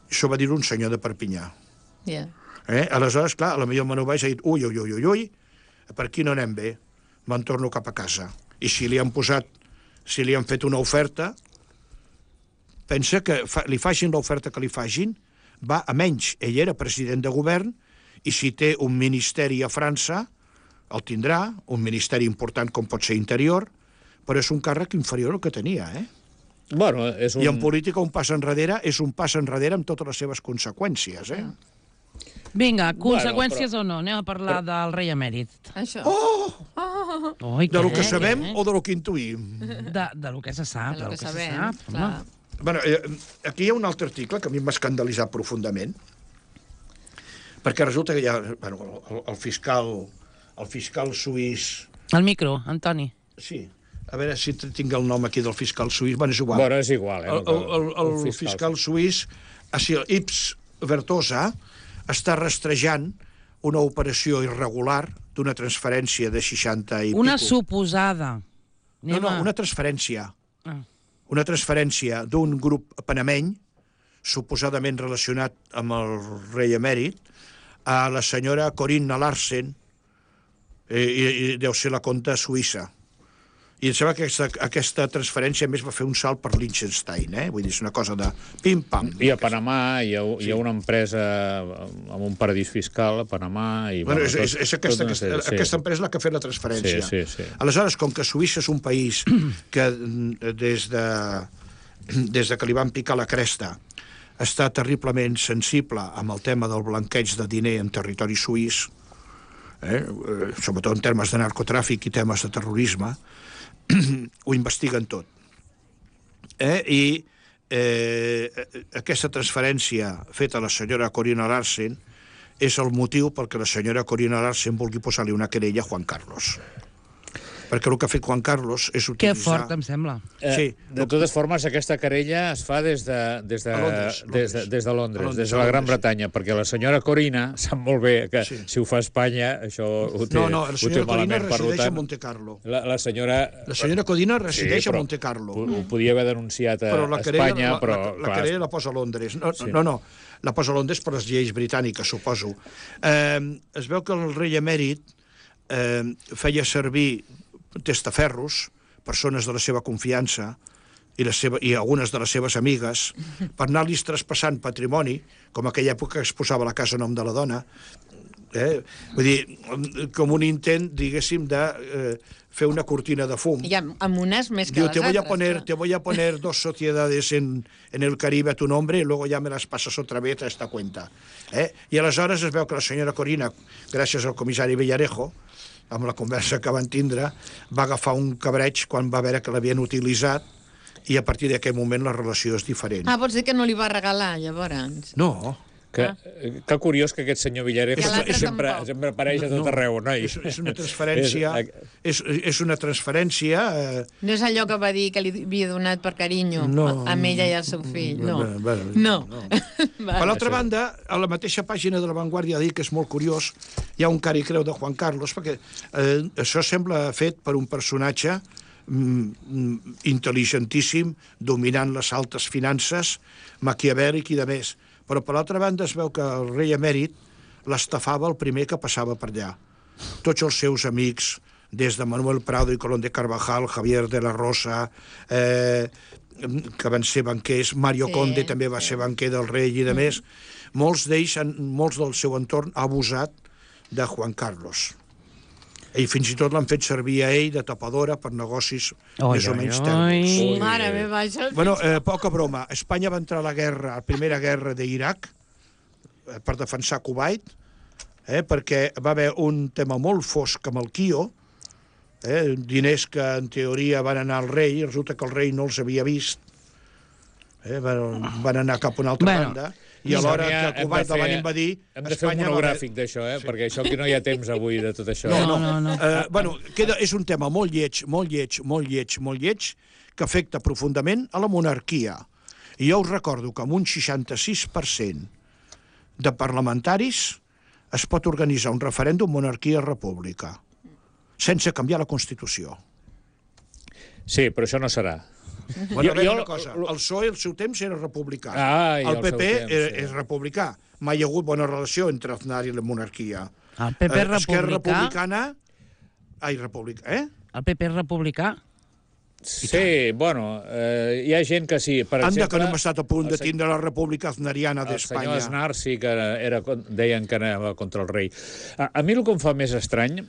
Això va dir un senyor de Perpinyà. Aleshores, clar, potser el Manu Valls ha dit: ui, per aquí no anem bé, me'n torno cap a casa. I si li han fet una oferta, pensa que li facin l'oferta que li facin, va a menys. Ell era president de govern i si té un ministeri a França, el tindrà, un ministeri important com pot ser Interior, però és un càrrec inferior al que tenia, Bueno, I en política un pas enrere és un pas enrere amb totes les seves conseqüències, Vinga, conseqüències o no? Anem a parlar del rei emèrit. Això. De lo que sabem o de lo que intuïm? De lo que se sap. De lo que sabem, sap. clar. Bueno, aquí hi ha un altre article que a mi m'ha escandalitzat profundament, perquè resulta que hi ha el fiscal suís... El micro, Antoni. Sí, a veure si tinc el nom aquí del fiscal suís. Bueno, és igual. Bueno, és igual. El fiscal suís, Ips Vertosa, està rastrejant una operació irregular d'una transferència de 60 i pico. Una suposada. No, una transferència. Una transferència d'un grup panameny, suposadament relacionat amb el rei emèrit, a la senyora Corinna Larsen, i deu ser la compta suïssa. I em sembla que aquesta transferència més va fer un salt per Liechtenstein, Vull dir, és una cosa de pim-pam. I a Panamà hi ha una empresa amb un paradís fiscal, a Panamà... Bueno, és aquesta empresa la que ha fet la transferència. Sí. Aleshores, com que Suïssa és un país que des de que li van picar la cresta està terriblement sensible amb el tema del blanqueig de diner en territori suís, sobretot en termes de narcotràfic i temes de terrorisme, ho investiguen tot. I aquesta transferència feta a la senyora Corinna Larsen és el motiu perquè la senyora Corinna Larsen vulgui posar-li una querella a Juan Carlos. Perquè el que ha fet Juan Carlos és utilitzar... Que fort, em sembla. Sí. De totes formes, aquesta querella es fa des de Londres, des de la Gran Bretanya, perquè la senyora Corinna sap molt bé que si ho fa Espanya, això ho té malament. No, la senyora Corinna resideix a Monte Carlo. La senyora Corinna resideix a Monte Carlo. Ho podia haver denunciat a Espanya, però... La querella la posa a Londres. No, la posa a Londres per les lleis britàniques, suposo. Es veu que el rei emèrit feia servir testaferros, persones de la seva confiança i algunes de les seves amigues, per anar-los traspassant patrimoni, com aquella època que es posava la casa a nom de la dona, vull dir, com un intent, diguéssim, de fer una cortina de fum. I amb unes més que les altres. Te voy a poner 2 sociedades en el Caribe a tu nombre y luego ya me las pasas otra vez a esta cuenta. I aleshores es veu que la senyora Corinna, gràcies al comissari Villarejo, amb la conversa que van tindre, va agafar un cabreig quan va veure que l'havien utilitzat i a partir d'aquell moment la relació és diferent. Vols dir que no li va regalar, llavors? No. Que curiós que aquest senyor Villarejo sempre apareix a tot arreu, noi. És una transferència... És una transferència... No és allò que va dir que li havia donat per carinyo amb ella i el seu fill, no. Per l'altra banda, a la mateixa pàgina de La Vanguardia dic que és molt curiós, hi ha un cari creu de Juan Carlos, perquè això sembla fet per un personatge intel·ligentíssim, dominant les altes finances, maquiavèlic i de més. Però per l'altra banda es veu que el rei emèrit l'estafava el primer que passava per allà. Tots els seus amics, des de Manuel Prado i Colón de Carvajal, Javier de la Rosa, que van ser banquers, Mario Conde també va ser banquer del rei i de més, molts d'ells, molts del seu entorn, ha abusat de Juan Carlos. I fins i tot l'han fet servir a ell de tapadora per negocis més o menys tèrmics. Mare meva, això... Bueno, poca broma. Espanya va entrar a la primera guerra d'Iraq per defensar Kuwait, perquè va haver un tema molt fosc amb el Kio, diners que en teoria van anar al rei, i resulta que el rei no els havia vist, van anar cap a una altra banda, i alhora que Kuwait el van invadir... Hem de fer un monogràfic d'això, perquè això aquí no hi ha temps avui de tot això. No. És un tema molt lleig, que afecta profundament a la monarquia. I jo us recordo que amb un 66% de parlamentaris es pot organitzar un referèndum monarquia-república, sense canviar la Constitució. Sí, però això no serà. Bueno, a veure una cosa, el PSOE al seu temps era republicà, el PP és republicà, mai hi ha hagut bona relació entre Aznar i la monarquia. El PP és Esquerra republicà? Republicana... El PP és republicà? Sí, bueno, hi ha gent que sí. Per exemple, que no hem estat a punt de tindre la república aznariana d'Espanya. El senyor Aznar sí que deien que anava contra el rei. A mi el que em fa més estrany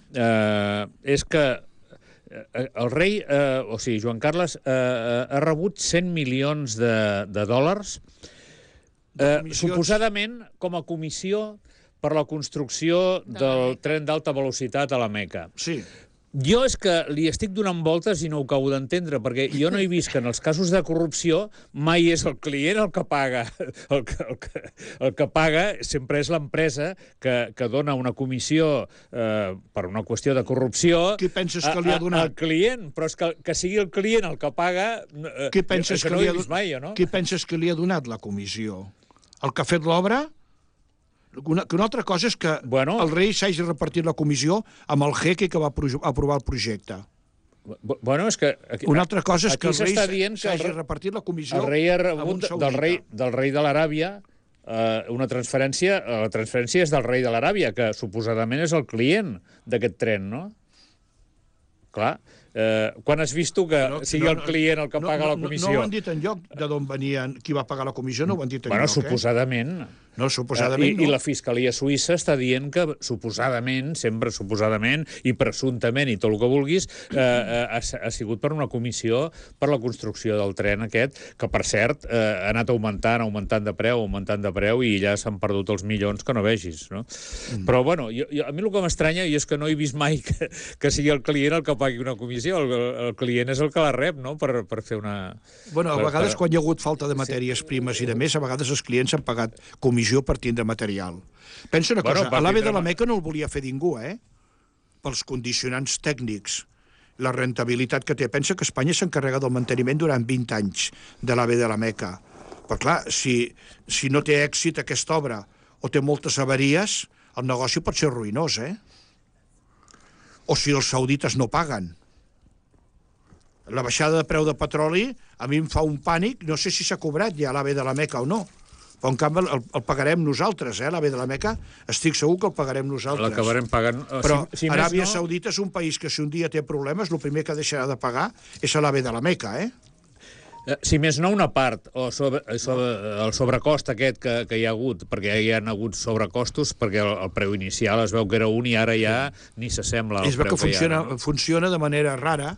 és que el rei, o sigui, Joan Carles, ha rebut 100 milions de dòlars, suposadament com a comissió per la construcció del tren d'alta velocitat a la Meca. Sí. Jo és que li estic donant voltes i no ho acabo d'entendre, perquè jo no he vist que en els casos de corrupció mai és el client el que paga. El que paga sempre és l'empresa que dona una comissió per una qüestió de corrupció. Qui penses que li ha donat? Al client, però és que sigui el client el que paga, qui penses que no ho he vist mai, no? Qui penses que li ha donat la comissió? El que ha fet l'obra? Que una altra cosa és que el rei s'hagi repartit la comissió amb el jeque que va aprovar el projecte. Bueno, és que... Una altra cosa és que el rei s'hagi repartit la comissió amb un saudita. El rei ha rebut del rei de l'Aràbia una transferència. La transferència és del rei de l'Aràbia, que suposadament és el client d'aquest tren, no? Clar. Quan has vist tu que sigui el client el que paga la comissió? No ho han dit enlloc de d'on venien, qui va pagar la comissió, no ho han dit enlloc. Bueno, suposadament. No, suposadament no. I la Fiscalia Suïssa està dient que suposadament, sempre suposadament, i presumptament, i tot el que vulguis, ha sigut per una comissió per la construcció del tren aquest, que, per cert, ha anat augmentant de preu, i ja s'han perdut els milions que no vegis, no? Però, bueno, a mi el que m'estranya és que no he vist mai que sigui el client el que pagui una comissió. El client és el que la rep, no?, per fer una... Bueno, a vegades, quan hi ha hagut falta de matèries primes i de més, a vegades els clients han pagat comissió per tindre material. Pensa una cosa, a l'AVE de la Meca no el volia fer ningú, pels condicionants tècnics, la rentabilitat que té. Pensa que Espanya s'encarrega del manteniment durant 20 anys de l'AVE de la Meca. Però clar, si no té èxit aquesta obra o té moltes avaries, el negoci pot ser ruïnós, O si els saudites no paguen. La baixada de preu de petroli a mi em fa un pànic, no sé si s'ha cobrat ja l'AVE de la Meca o no, però en canvi el pagarem nosaltres, l'AVE de la Meca, estic segur que el pagarem nosaltres. L'acabarem pagant... Però Aràbia Saudita és un país que si un dia té problemes, el primer que deixarà de pagar és l'AVE de la Meca, Si més no, una part, o el sobrecost aquest que hi ha hagut, perquè hi ha hagut sobrecostos, perquè el preu inicial es veu que era un i ara ja ni s'assembla al preu que hi ha. Funciona de manera rara.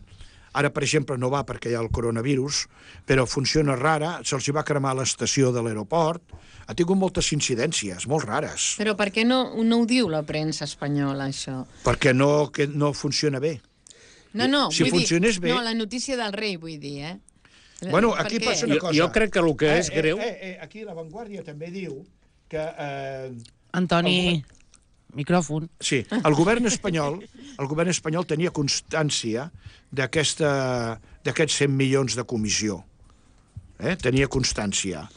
Ara, per exemple, no va perquè hi ha el coronavirus, però funciona rara, se'ls va cremar l'estació de l'aeroport, ha tingut moltes incidències, molt rares. Però per què no ho diu la premsa espanyola, això? Perquè no funciona bé. No, si funcionés bé... No, la notícia del rei, vull dir, Bueno, aquí passa una cosa. Jo crec que el que és greu... Aquí La Vanguardia també diu que... Antoni... Micròfon. Sí, el govern espanyol tenia constància d'aquests 100 milions de comissió. Tenia constància.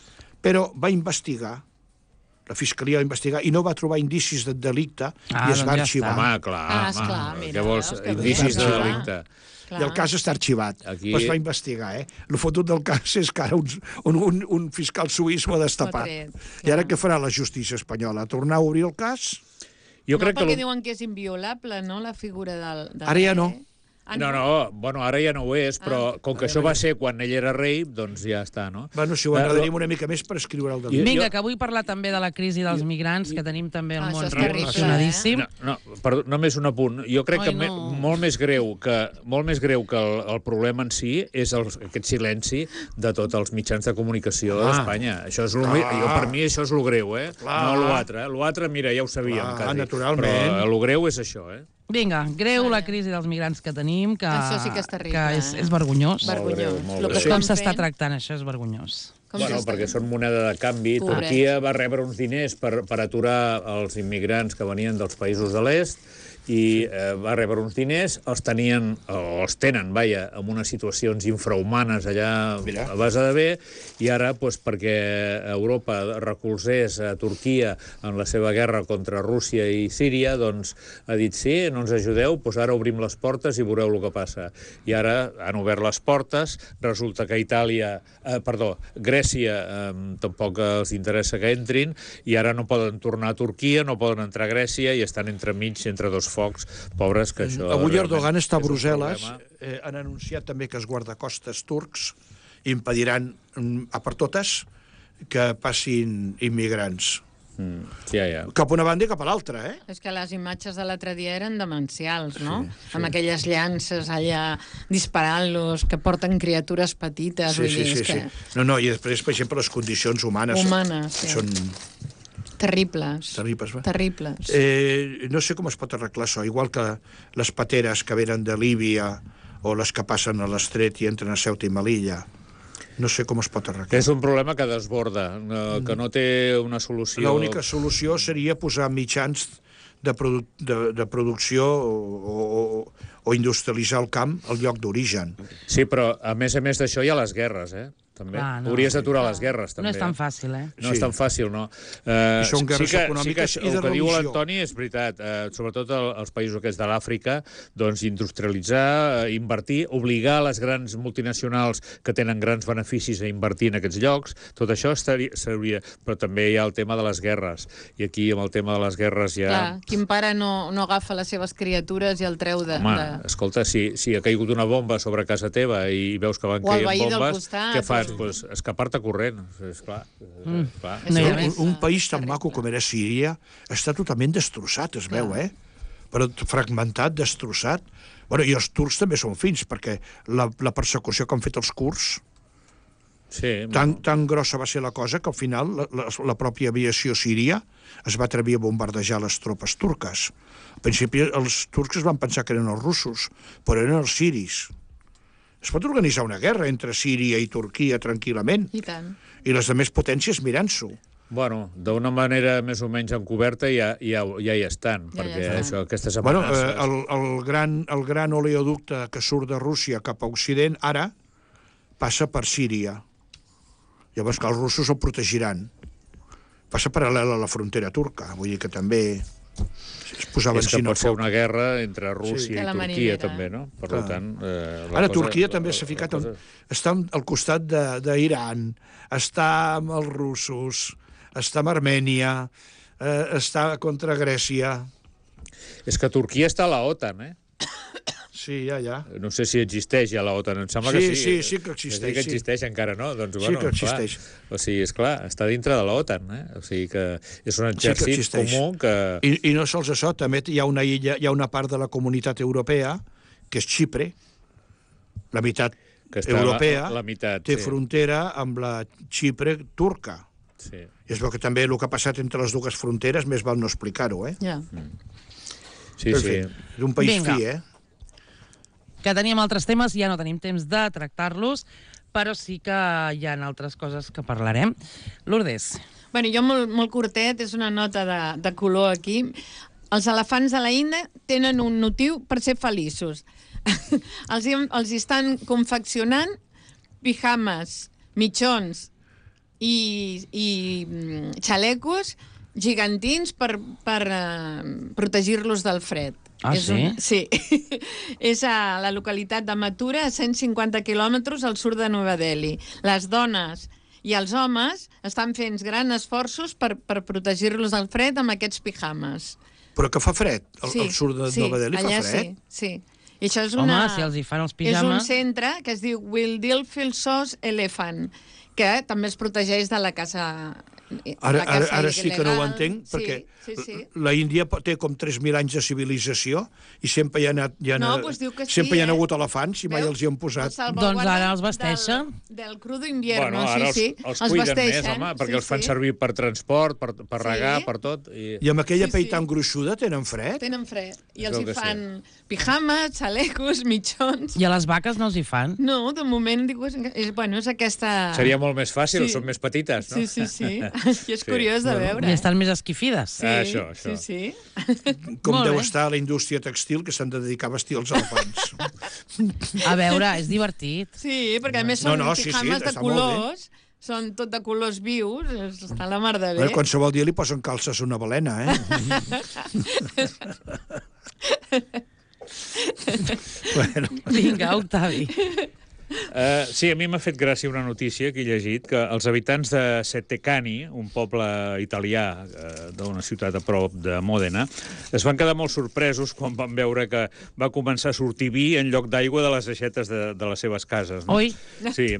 Però va investigar, la Fiscalia va investigar, i no va trobar indicis de delicte i es va arxivar. Home, clar, mira, què vols? Indicis de delicte. I el cas està arxivat. Però es va investigar, El fotut del cas és que ara un fiscal suís ho ha destapat. I ara què farà la justícia espanyola? Tornar a obrir el cas? Jo crec perquè diuen que és inviolable, no?, la figura del Ara ja no. Bueno, ara ja no ho és, però com que això va ser quan ell era rei, doncs ja està, no? Bueno, si ho enredaríem una mica més per escriure el del... Vinga, que vull parlar també de la crisi dels migrants, que tenim també el món relacionadíssim. Perdó, només un apunt. Jo crec que molt més greu que el problema en si és aquest silenci de tots els mitjans de comunicació d'Espanya. Per mi això és lo greu, no l'altre. L'altre, mira, ja ho sabíem, quasi. Naturalment. Però lo greu és això, Vinga, greu la crisi dels migrants que tenim, que això sí que és terrible, que és vergonyós. Vergonyós. Com s'està tractant, això és vergonyós. Bueno, perquè són moneda de canvi. Turquia va rebre uns diners per aturar els immigrants que venien dels països de l'est i va rebre uns diners, els tenen, en unes situacions infrahumanes allà a base de bé, i ara, perquè Europa recolzés a Turquia en la seva guerra contra Rússia i Síria, doncs ha dit sí, no ens ajudeu, doncs ara obrim les portes i veureu el que passa. I ara han obert les portes, resulta que Grècia tampoc els interessa que entrin, i ara no poden tornar a Turquia, no poden entrar a Grècia, i estan entremig, entre dos focs, pobres, que això... Avui Erdogan està a Brussel·les, han anunciat també que els guardacostes turcs impediran a per totes que passin immigrants. Cap a una banda i cap a l'altra, És que les imatges de l'altre dia eren demencials, no? Amb aquelles llances allà disparant-los, que porten criatures petites. Sí. No, i després, per exemple, les condicions humanes són... Terribles. No sé com es pot arreglar això, igual que les pateres que venen de Líbia o les que passen a l'estret i entren a Ceuta i Melilla. No sé com es pot arreglar. És un problema que desborda, que no té una solució. L'única solució seria posar mitjans de producció o industrialitzar el camp al lloc d'origen. Sí, però a més d'això hi ha les guerres, també. Hauries d'aturar les guerres, també. No és tan fàcil, No és tan fàcil, no. Són guerres econòmiques i de religió. El que diu l'Antoni és veritat. Sobretot els països aquests de l'Àfrica, doncs industrialitzar, invertir, obligar les grans multinacionals que tenen grans beneficis a invertir en aquests llocs, tot això seria... Però també hi ha el tema de les guerres. I aquí, amb el tema de les guerres, ja... Clar, quin pare no agafa les seves criatures i el treu de... Escolta, si ha caigut una bomba sobre casa teva i veus que van caient bombes, què fas? Pues escapar-te corrent, esclar. Un país tan maco com era Síria està totalment destrossat, es veu, però fragmentat, destrossat. Bueno, i els turcs també són fins, perquè la persecució que han fet els kurds, tan grossa va ser la cosa que al final la pròpia aviació síria es va atrevir a bombardejar les tropes turques. Al principi els turcs es van pensar que eren els russos, però eren els siris. Es pot organitzar una guerra entre Síria i Turquia tranquil·lament. I tant. I les altres potències mirant-s'ho. Bueno, d'una manera més o menys encoberta ja hi estan, perquè aquestes amenaces... El gran oleoducte que surt de Rússia cap a Occident ara passa per Síria. Llavors que els russos el protegiran. Passa paral·lel a la frontera turca, vull dir que també... És que pot ser una guerra entre Rússia i Turquia, també, no? Per tant... Ara, Turquia també s'ha ficat... Està al costat d'Iran, està amb els russos, està amb Armènia, està contra Grècia... És que Turquia està a la OTAN, Sí, ja. No sé si existeix ja la OTAN, em sembla que sí. Sí que existeix. Sí que existeix encara, no? Doncs, sí que existeix. O sigui, esclar, està dintre de la OTAN, O sigui que és un exèrcit comú que... I no sols això, també hi ha una illa, hi ha una part de la comunitat europea, que és Xipre, la meitat europea, té frontera amb la Xipre turca. Sí. I es veu que també el que ha passat entre les dues fronteres més val no explicar-ho, Sí. És un país fi, Que teníem altres temes, ja no tenim temps de tractar-los, però sí que hi ha altres coses que parlarem. Lourdes. Bueno, jo molt curtet, és una nota de color aquí. Els elefants de la Índia tenen un motiu per ser feliços. Els estan confeccionant pijames, mitjons i xalecos gegantins per protegir-los del fred. Sí. És a la localitat de Mathura, a 150 quilòmetres al sud de Nova Delhi. Les dones i els homes estan fent grans esforços per protegir-los del fred amb aquests pijames. Però que fa fred? Al sud de Nova Delhi fa fred? Sí. I això és Home, si els hi fan els És un pijames... centre que es diu Wildilfilsos Elephant, que també els protegeix de la caça Ara sí que no ho il·legal. entenc, Sí, perquè sí, sí. la Índia té com 3.000 anys de civilització i sempre hi ha doncs diu que sí, sempre hi ha hagut elefants i mai els hi han posat. Doncs ara els vesteixen. Del crudo invierno, Ara sí. els cuiden més, vesteixen, home, perquè els fan servir per transport, per regar, per tot. I amb aquella Sí, pell sí. tan gruixuda tenen fred? Tenen fred. I Es els veu hi que fan pijames, xalecos, mitjons... I a les vaques no els hi fan? No, de moment, diu, és aquesta... Seria molt més fàcil, Sí. són més petites, no? Sí. I és curiós de veure. I estan més esquifides. Sí, Això. sí. Com Molt deu bé. estar la indústria textil que s'han de dedicar a vestir els elefants. A veure, és divertit. Sí, perquè a més són sí, pijames de està molt bé. colors, són tot de colors vius, està la mar de bé. Qualsevol dia li posen calces a una balena, eh? Bueno. Vinga, Octavi. Sí, a mi m'ha fet gràcia una notícia que he llegit, que els habitants de Settecani, un poble italià d'una ciutat a prop de Mòdena, es van quedar molt sorpresos quan van veure que va començar a sortir vi en lloc d'aigua de les aixetes de les seves cases. No? Oi? Sí,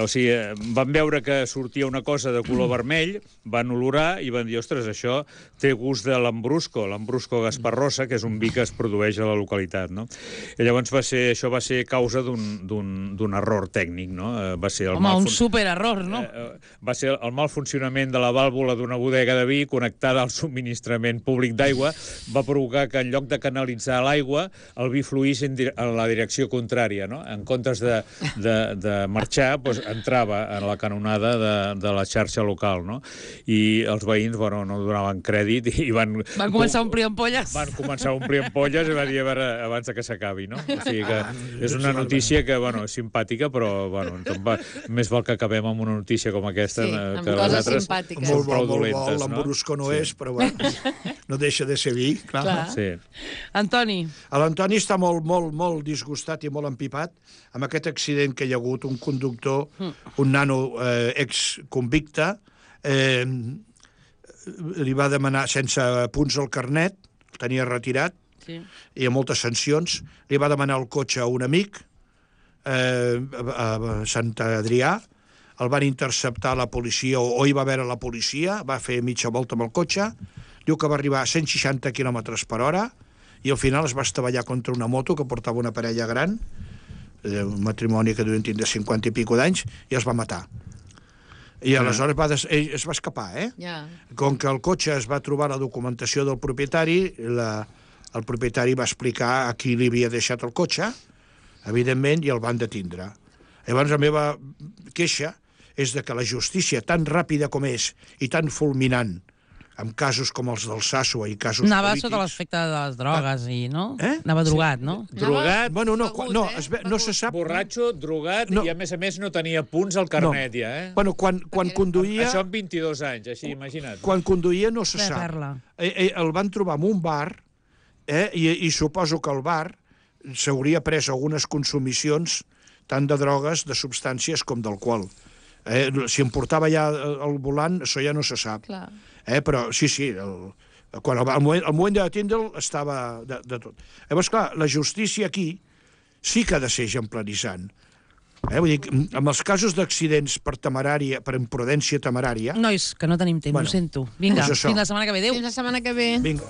o sigui, van veure que sortia una cosa de color vermell, van olorar i van dir, ostres, això té gust de l'Ambrusco Gasparrosa, que és un vi que es produeix a la localitat, no? I llavors això va ser causa d'un error tècnic, no? Va ser el Home, un supererror, no? Va ser el mal funcionament de la vàlvula d'una bodega de vi connectada al subministrament públic d'aigua, va provocar que en lloc de canalitzar l'aigua, el vi fluís en la direcció contrària, no? En comptes de marxar, doncs entrava en la canonada de la xarxa local, no? I els veïns, bueno, no donaven crèdit i van començar a omplir ampolles. Van començar a omplir ampolles i van dir, a veure, abans que s'acabi, no? O sigui que és una notícia que, bueno, és simpàtica, però, bueno, més val que acabem amb una notícia com aquesta, Sí, que amb les coses altres simpàtiques. són Molt prou bo, dolentes, no? l'Ambrusco no és, però bueno, no deixa de ser vi, clar. Sí. Antoni. L'Antoni està molt disgustat i molt empipat amb aquest accident que hi ha hagut, un conductor, un nano exconvicte, li va demanar, sense punts al carnet, el tenia retirat, Sí. i amb moltes sancions, li va demanar el cotxe a un amic, a Sant Adrià, el van interceptar la policia, o hi va veure la policia, va fer mitja volta amb el cotxe, diu que va arribar a 160 km/h, i al final es va estavellar contra una moto que portava una parella gran, un matrimoni que devien tindre 50 i pico d'anys, i els va matar. I aleshores ell es va escapar, eh? Ja. Com que el cotxe es va trobar la documentació del propietari, el propietari va explicar a qui li havia deixat el cotxe, evidentment, i el van detindre. Llavors, la meva queixa és de que la justícia, tan ràpida com és i tan fulminant, amb casos com els del Sàssoa i casos Anava polítics... sota l'efecte de les drogues i, no? Eh? Anava drogat, no? Drogat, Bueno, no, Begut, no se sap... borratxo, drogat, No. i a més no tenia punts al carnet, ja, eh? Bueno, quan conduïa... Això amb 22 anys, així, imagina't. Quan conduïa no se De sap. perla. El van trobar en un bar, i suposo que al bar s'hauria pres algunes consumicions tant de drogues, de substàncies com d'alcohol. Si em portava ja al volant, això ja no se sap. Clar. Però sí, al moment de detindre'l estava de tot. Llavors, clar, la justícia aquí sí que ha de ser exemplaritzant. Vull dir, amb els casos d'accidents per imprudència temerària... Nois, que no tenim temps, Bueno, ho sento. Vinga, doncs això. fins la setmana que ve. Adéu. Fins la setmana que ve. Vinga.